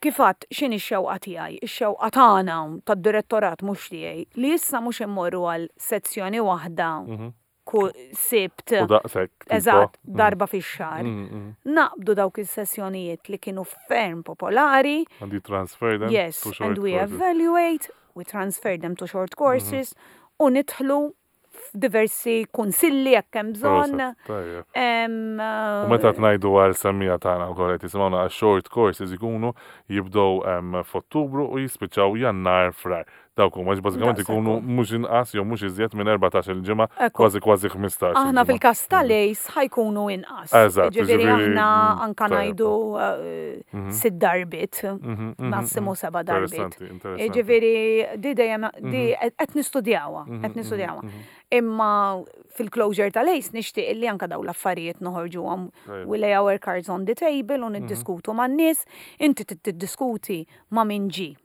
kifat x'inhi x-xewqa tiegħi, ix-xewqa tagħna tad-direttorat mhux tiegħi li issa mhux immorru għal sezzjoni waħda Mhm. kull Sibt. U daqshekk. tipo. Eżatt, Mhm. darba fix-xahar. Mhm, mhm. Naqbdu dawk is-sessjonijiet li kienu ferm popolari. And you transfer them Yes, to short and we courses. evaluate, we transfer them to short courses u nidħlu f'diversi kunsilli jekk hemm bżonn. Proset, tajjeb. Em, U meta tnajdu għal semmija tagħna wkoll qed jisimgħuna għal short courses ikunu jibdew em, f'Ottubru u jispiċċaw Jannar, Frar. Dawk huma bażikament Daqshekk ikunu hu. mhux inqas jew mhux iżjed minn erbatax-il ġimgħa, Ekku. kważi kważi ħmistax. Aħna fil-kas tal-ACE ħa jkunu inqas. Eżatt, Ġifieri ġifieri, aħna mm, anka tajjeb. ngħidu eh, sitt darbiet, massimu seba' darbiet. Interessanti, interessanti. Ġifieri di dejjem di qed nistudjawha, qed nistudjawha. Imma fil-closure tal-ACE nixtieq li anka daw l-affarijiet noħorġuhom. Tajjeb. We lay our cards on the table u niddiskutu man-nies, inti tiddiskuti ma' min ġi.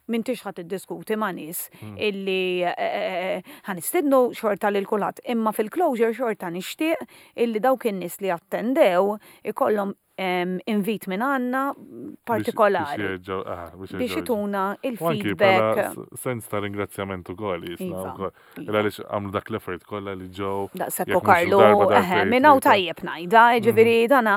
M'intix ħa tiddiskuti ma' nies illi eh, eh, ħa nistidnu xorta lil kulħadd, imma fil-closure xorta nixtieq illi dawk in-nies li attendew ikollhom em, invit minn għandna partikolari biex biex ituna U anki il-feedback. bħala s- sens ta' ringrazzjament ukoll jisna Iva, wkoll. iva. Il għaliex għamlu dak l-effort kollha li ġew. Daqshekk jekk mhux Karlu, darba, eħe, darbtejn, minn hawn tlieta. tajjeb ngħidha, ġifieri dana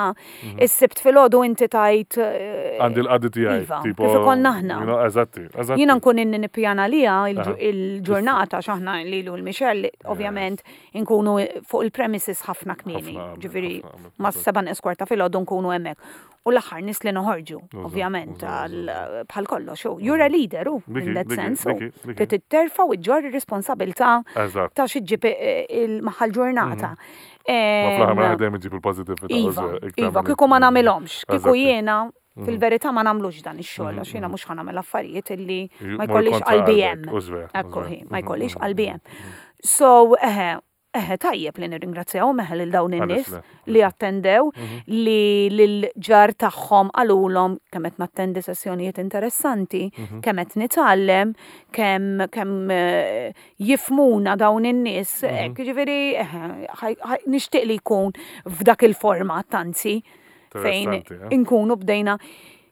is-Sibt filgħodu inti tajt eh, Għandi l-qadi tiegħi. Iva, tipo, kif ikollna aħna. you know, Eżatti, eżatti. Jiena nkun inni nippjana lija Aha. il-ġurnata x'aħna lilu l-Michelle, ovvjament inkunu fuq il-premises ħafna kmieni. Ħafna qabel, Ġifieri ħafna qabel, ma' eżatt. seba' eskorta filgħodu nkunu hemmhekk. U l-aħħar nies li noħorġu, Uża, ovvjament, uża, għal- bħal kollox. u You're a leader, u Diki, in that diki, sense. u diki, diki. Trid titterfa u ġġorr ir-responsabilità Eżatt. ta' xi ġġib il-maħal ġurnata. Ma fl-aħħar Em, mela dejjem iġib il-positività. Iva, uża, iktar iva, milli- kieku ma nagħmilhomx, kieku Eżatti. jiena fil-verità ma nagħmlux dan ix-xogħol għax jiena mhux ħa nagħmel affarijiet illi Ju- ma mor jkollix kontra qalbi qalbek, hemm. u żver, u Ekku żver. hi, ma Mhm, jkollix mhm, qalbi hemm. So, eħe, eħe, tajjeb li nirringrazzjahom eħe lil dawn Għaliex in-nies le, li attendew, Mhm. li lil-ġar tagħhom qalulhom kemm qed nattendi sessjonijiet interessanti, Mhm. kemm qed nitgħallem, kemm kemm eh, jifmuna dawn in-nies, Mhm. hekk, ġifieri eħe, ħaj- ħaj- nixtieq li jkun f'dak il-format anzi fejn Interessanti, eh? inkunu bdejna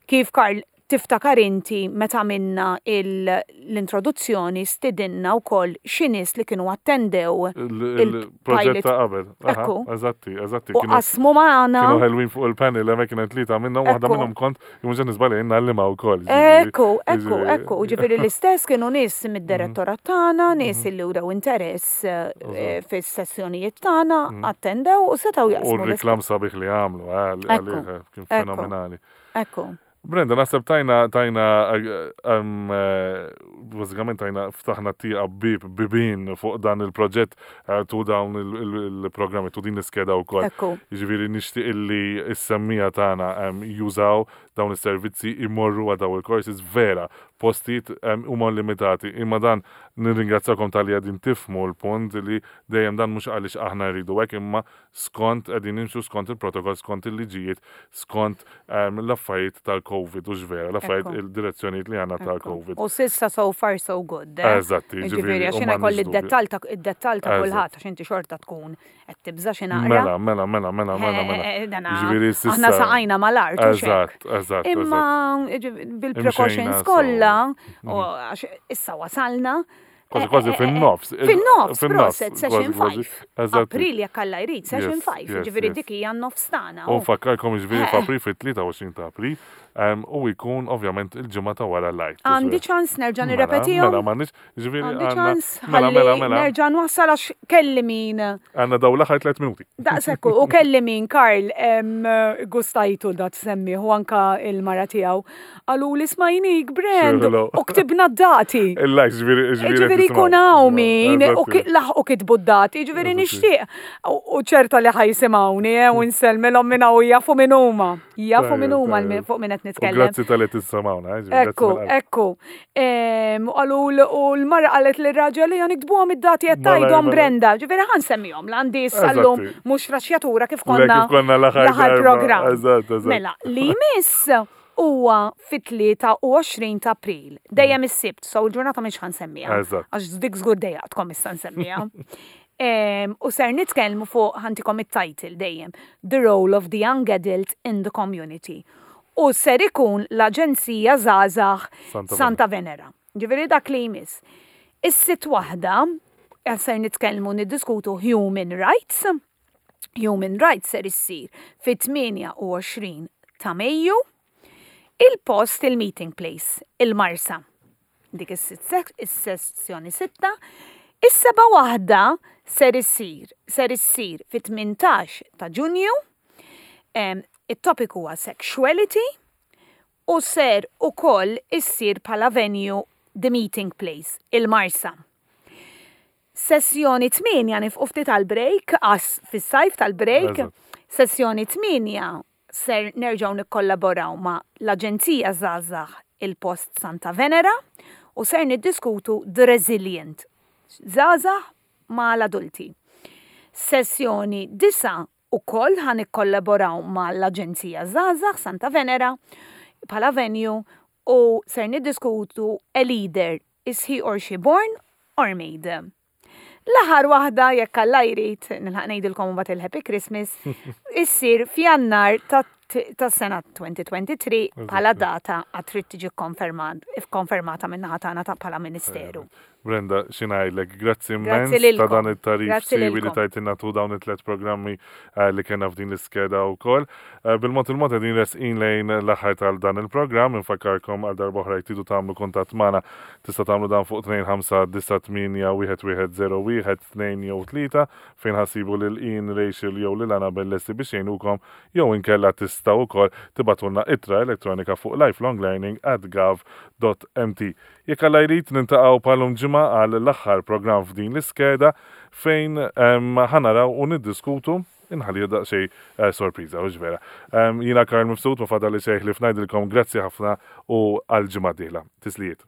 kif, Karl, Tiftakar inti meta minna l-introduzzjoni stidinna wkoll xi nies li kienu attendew il-proġett ta' qabel. Ekku. Eżatti, eżatti. U qasmu magħna. Kienu ħelwin fuq il-panel, hemmhekk kienet tlieta minnhom, waħda minnhom kont jien mhux nisbali ngħallimha wkoll. Ekku, ekku, ekku. Ġifieri l-istess kienu nies mid-direttorat tagħna, nies li wrew interess eh, fis-sessjonijiet tagħna, attendew u setgħu jaqsmu. U r-reklam sabiħ li għamlu, eh, kien fenomenali. Ekku. Brenda, naħseb tajna, tajna, bażikament tajna ftaħna tieqa bib, bibin fuq dan il-proġett tu dawn il-programmi, tu din l-iskeda u koll. Ġifieri nixtieq illi s-semmiegħa tagħna jużaw dawn is-servizzi imorru għal dawn il-courses vera, postijiet huma limitati. Imma dan nirringrazzakom talli qegħdin tifhmu l-punt li dejjem dan mhux għaliex aħna rridu hekk, imma skont qegħdin nimxu skont il-protokoll, skont il-liġijiet, skont l-affarijiet tal-Covid u x'vera, l-affarijiet il-direzzjonijiet li għandna tal-Covid. U s'issa so far so good. Eżatti, ġifieri għax jiena jkolli d-dettall ta' id-dettall ta' kulħadd għax inti xorta tkun qed tibża' xi naqra. Mela, mela, mela, mela, mela, mela. Ġifieri s'issa. Aħna saqajna mal-art. Eżatt, eżatt. Imma bil-precautions kollha, u għax issa wasalna. Kważi kważi fin-nofs. Fin-nofs, proset, session five. April jekk Alla jrid, session five, ġifieri dik hija n-nofs tagħna. U nfakkarkom ġifieri f'April fit-tlieta u għoxrin ta' April, u jkun ovvjament il-ġimgħa ta' wara l-Għid. Għandi ċans nerġa' nirrepetihom? Mela, m'għandniex, ġifieri Għandi ċans ħalli nerġa' nwassal għax kelli min. Għandna dawn l-aħħar tliet minuti. Daqshekk u kelli min Karl gustajtu da tsemmih u anka il-mara tiegħu. Qalu li smajnik Brand u ktibna d-dati. Il-likes ġifieri ġifieri jkun hawn min u laħqu kitbu d-dati, ġifieri nixtieq. U ċerta li ħajsimgħuni u nsellmilhom minn hawn jafu min huma. Jafu min huma fuq min qed nitkellem. Grazzi talli tismgħuna. Ekku, ekku. Qalu u l-mara qalet lir-raġel li niktbuhom id-dati qed tgħidhom Brenda. Ġifieri ħa nsemmihom l-għandi issa llum mhux raxjatura kif konna l-aħħar programm. Mela, li jmiss huwa fit-tlieta u għoxrin ta' April. Dejjem is-Sibt, so l-ġurnata mhix ħa nsemmiha. Għax dik żgur dejjaqtkom issa nsemmiha. U ser nitkellmu fuq ħantikom it-title dejjem, The Role of the Young Adult in the Community. U ser ikun l-Aġenzija Żgħażagħ Santa Venera. Ġifieri dak li jmiss. Is-sitt waħda ser nitkellmu niddiskutu Human Rights. Human Rights ser issir fit-tmienja u għoxrin ta' Mejju. Il-post, il-meeting place, il-Marsa. Dik is-sessjoni sitta. Is-seba' waħda ser issir, ser issir fit-tmintax ta' Ġunju. It-topic huwa sexuality u ser ukoll issir bħala venue the meeting place, il-Marsa. Sessjoni tmienja nifqu ftit tal-break, għas fis-sajf tal-break. Sessjoni tmienja ser nerġgħu nikkollaboraw ma' l-Aġenzija Żgħażagħ il-Post Santa Venera u ser niddiskutu The Resilient, żgħażagħ ma' l-adulti. Sessjoni disa ukoll ħa nikkollaboraw ma' l-Aġenzija Żgħażagħ Santa Venera bħala venue u ser niddiskutu A Leader, is he or she born or made? L-aħħar waħda, jekk Alla jrid, nilħaq ngħidilkom mbagħad il-Happy Christmas, issir f'Jannar tas-sena twenty twenty-three bħala data għad trid tiġi konfermata min-naħa tagħna ta' bħala Ministeru. Brenda, xi ngħidlek, grazzi immens ta' dan it-tarif siwi li tajtilna tu dawn it-tliet programmi li kellna f'din l-iskeda wkoll. Bil-mod il-mod qegħdin resqin lejn l-aħħar tal dan il-programm, infakkarkom għal darba oħra jekk tridu tagħmlu kuntatt magħna tista' tagħmlu dan fuq tnejn ħamsa disa' tmienja wieħed wieħed żero wieħed tnejn jew tlieta fejn ħassibu lil Ian, Rachel jew lil Annabelle lesti biex jgħinukom jew inkella tistgħu wkoll tibgħatulna ittra elettronika fuq lifelonglearning at gov dot m t. Jekk Alla jrid nintaqgħu bħalhom ġimgħa għal l-aħħar programm f'din l-iskeda fejn ħa naraw u niddiskutu inħalli daqsxejn sorpriża, u vera. Jiena Karl Mifsud, ma fadal li xejn li fnajdilkom grazzi ħafna u għal ġimgħa d-dieħla. Tislijiet.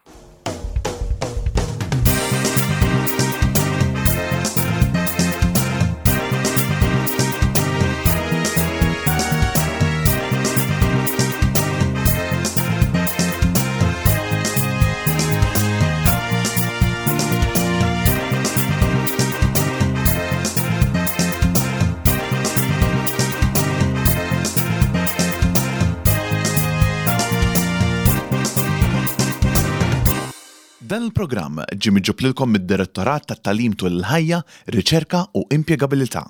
Dan il-programm ġie miġjub lilkom mid-Direttorat tat-Tagħlim Tul il-Ħajja, Riċerka u Impjegabilità.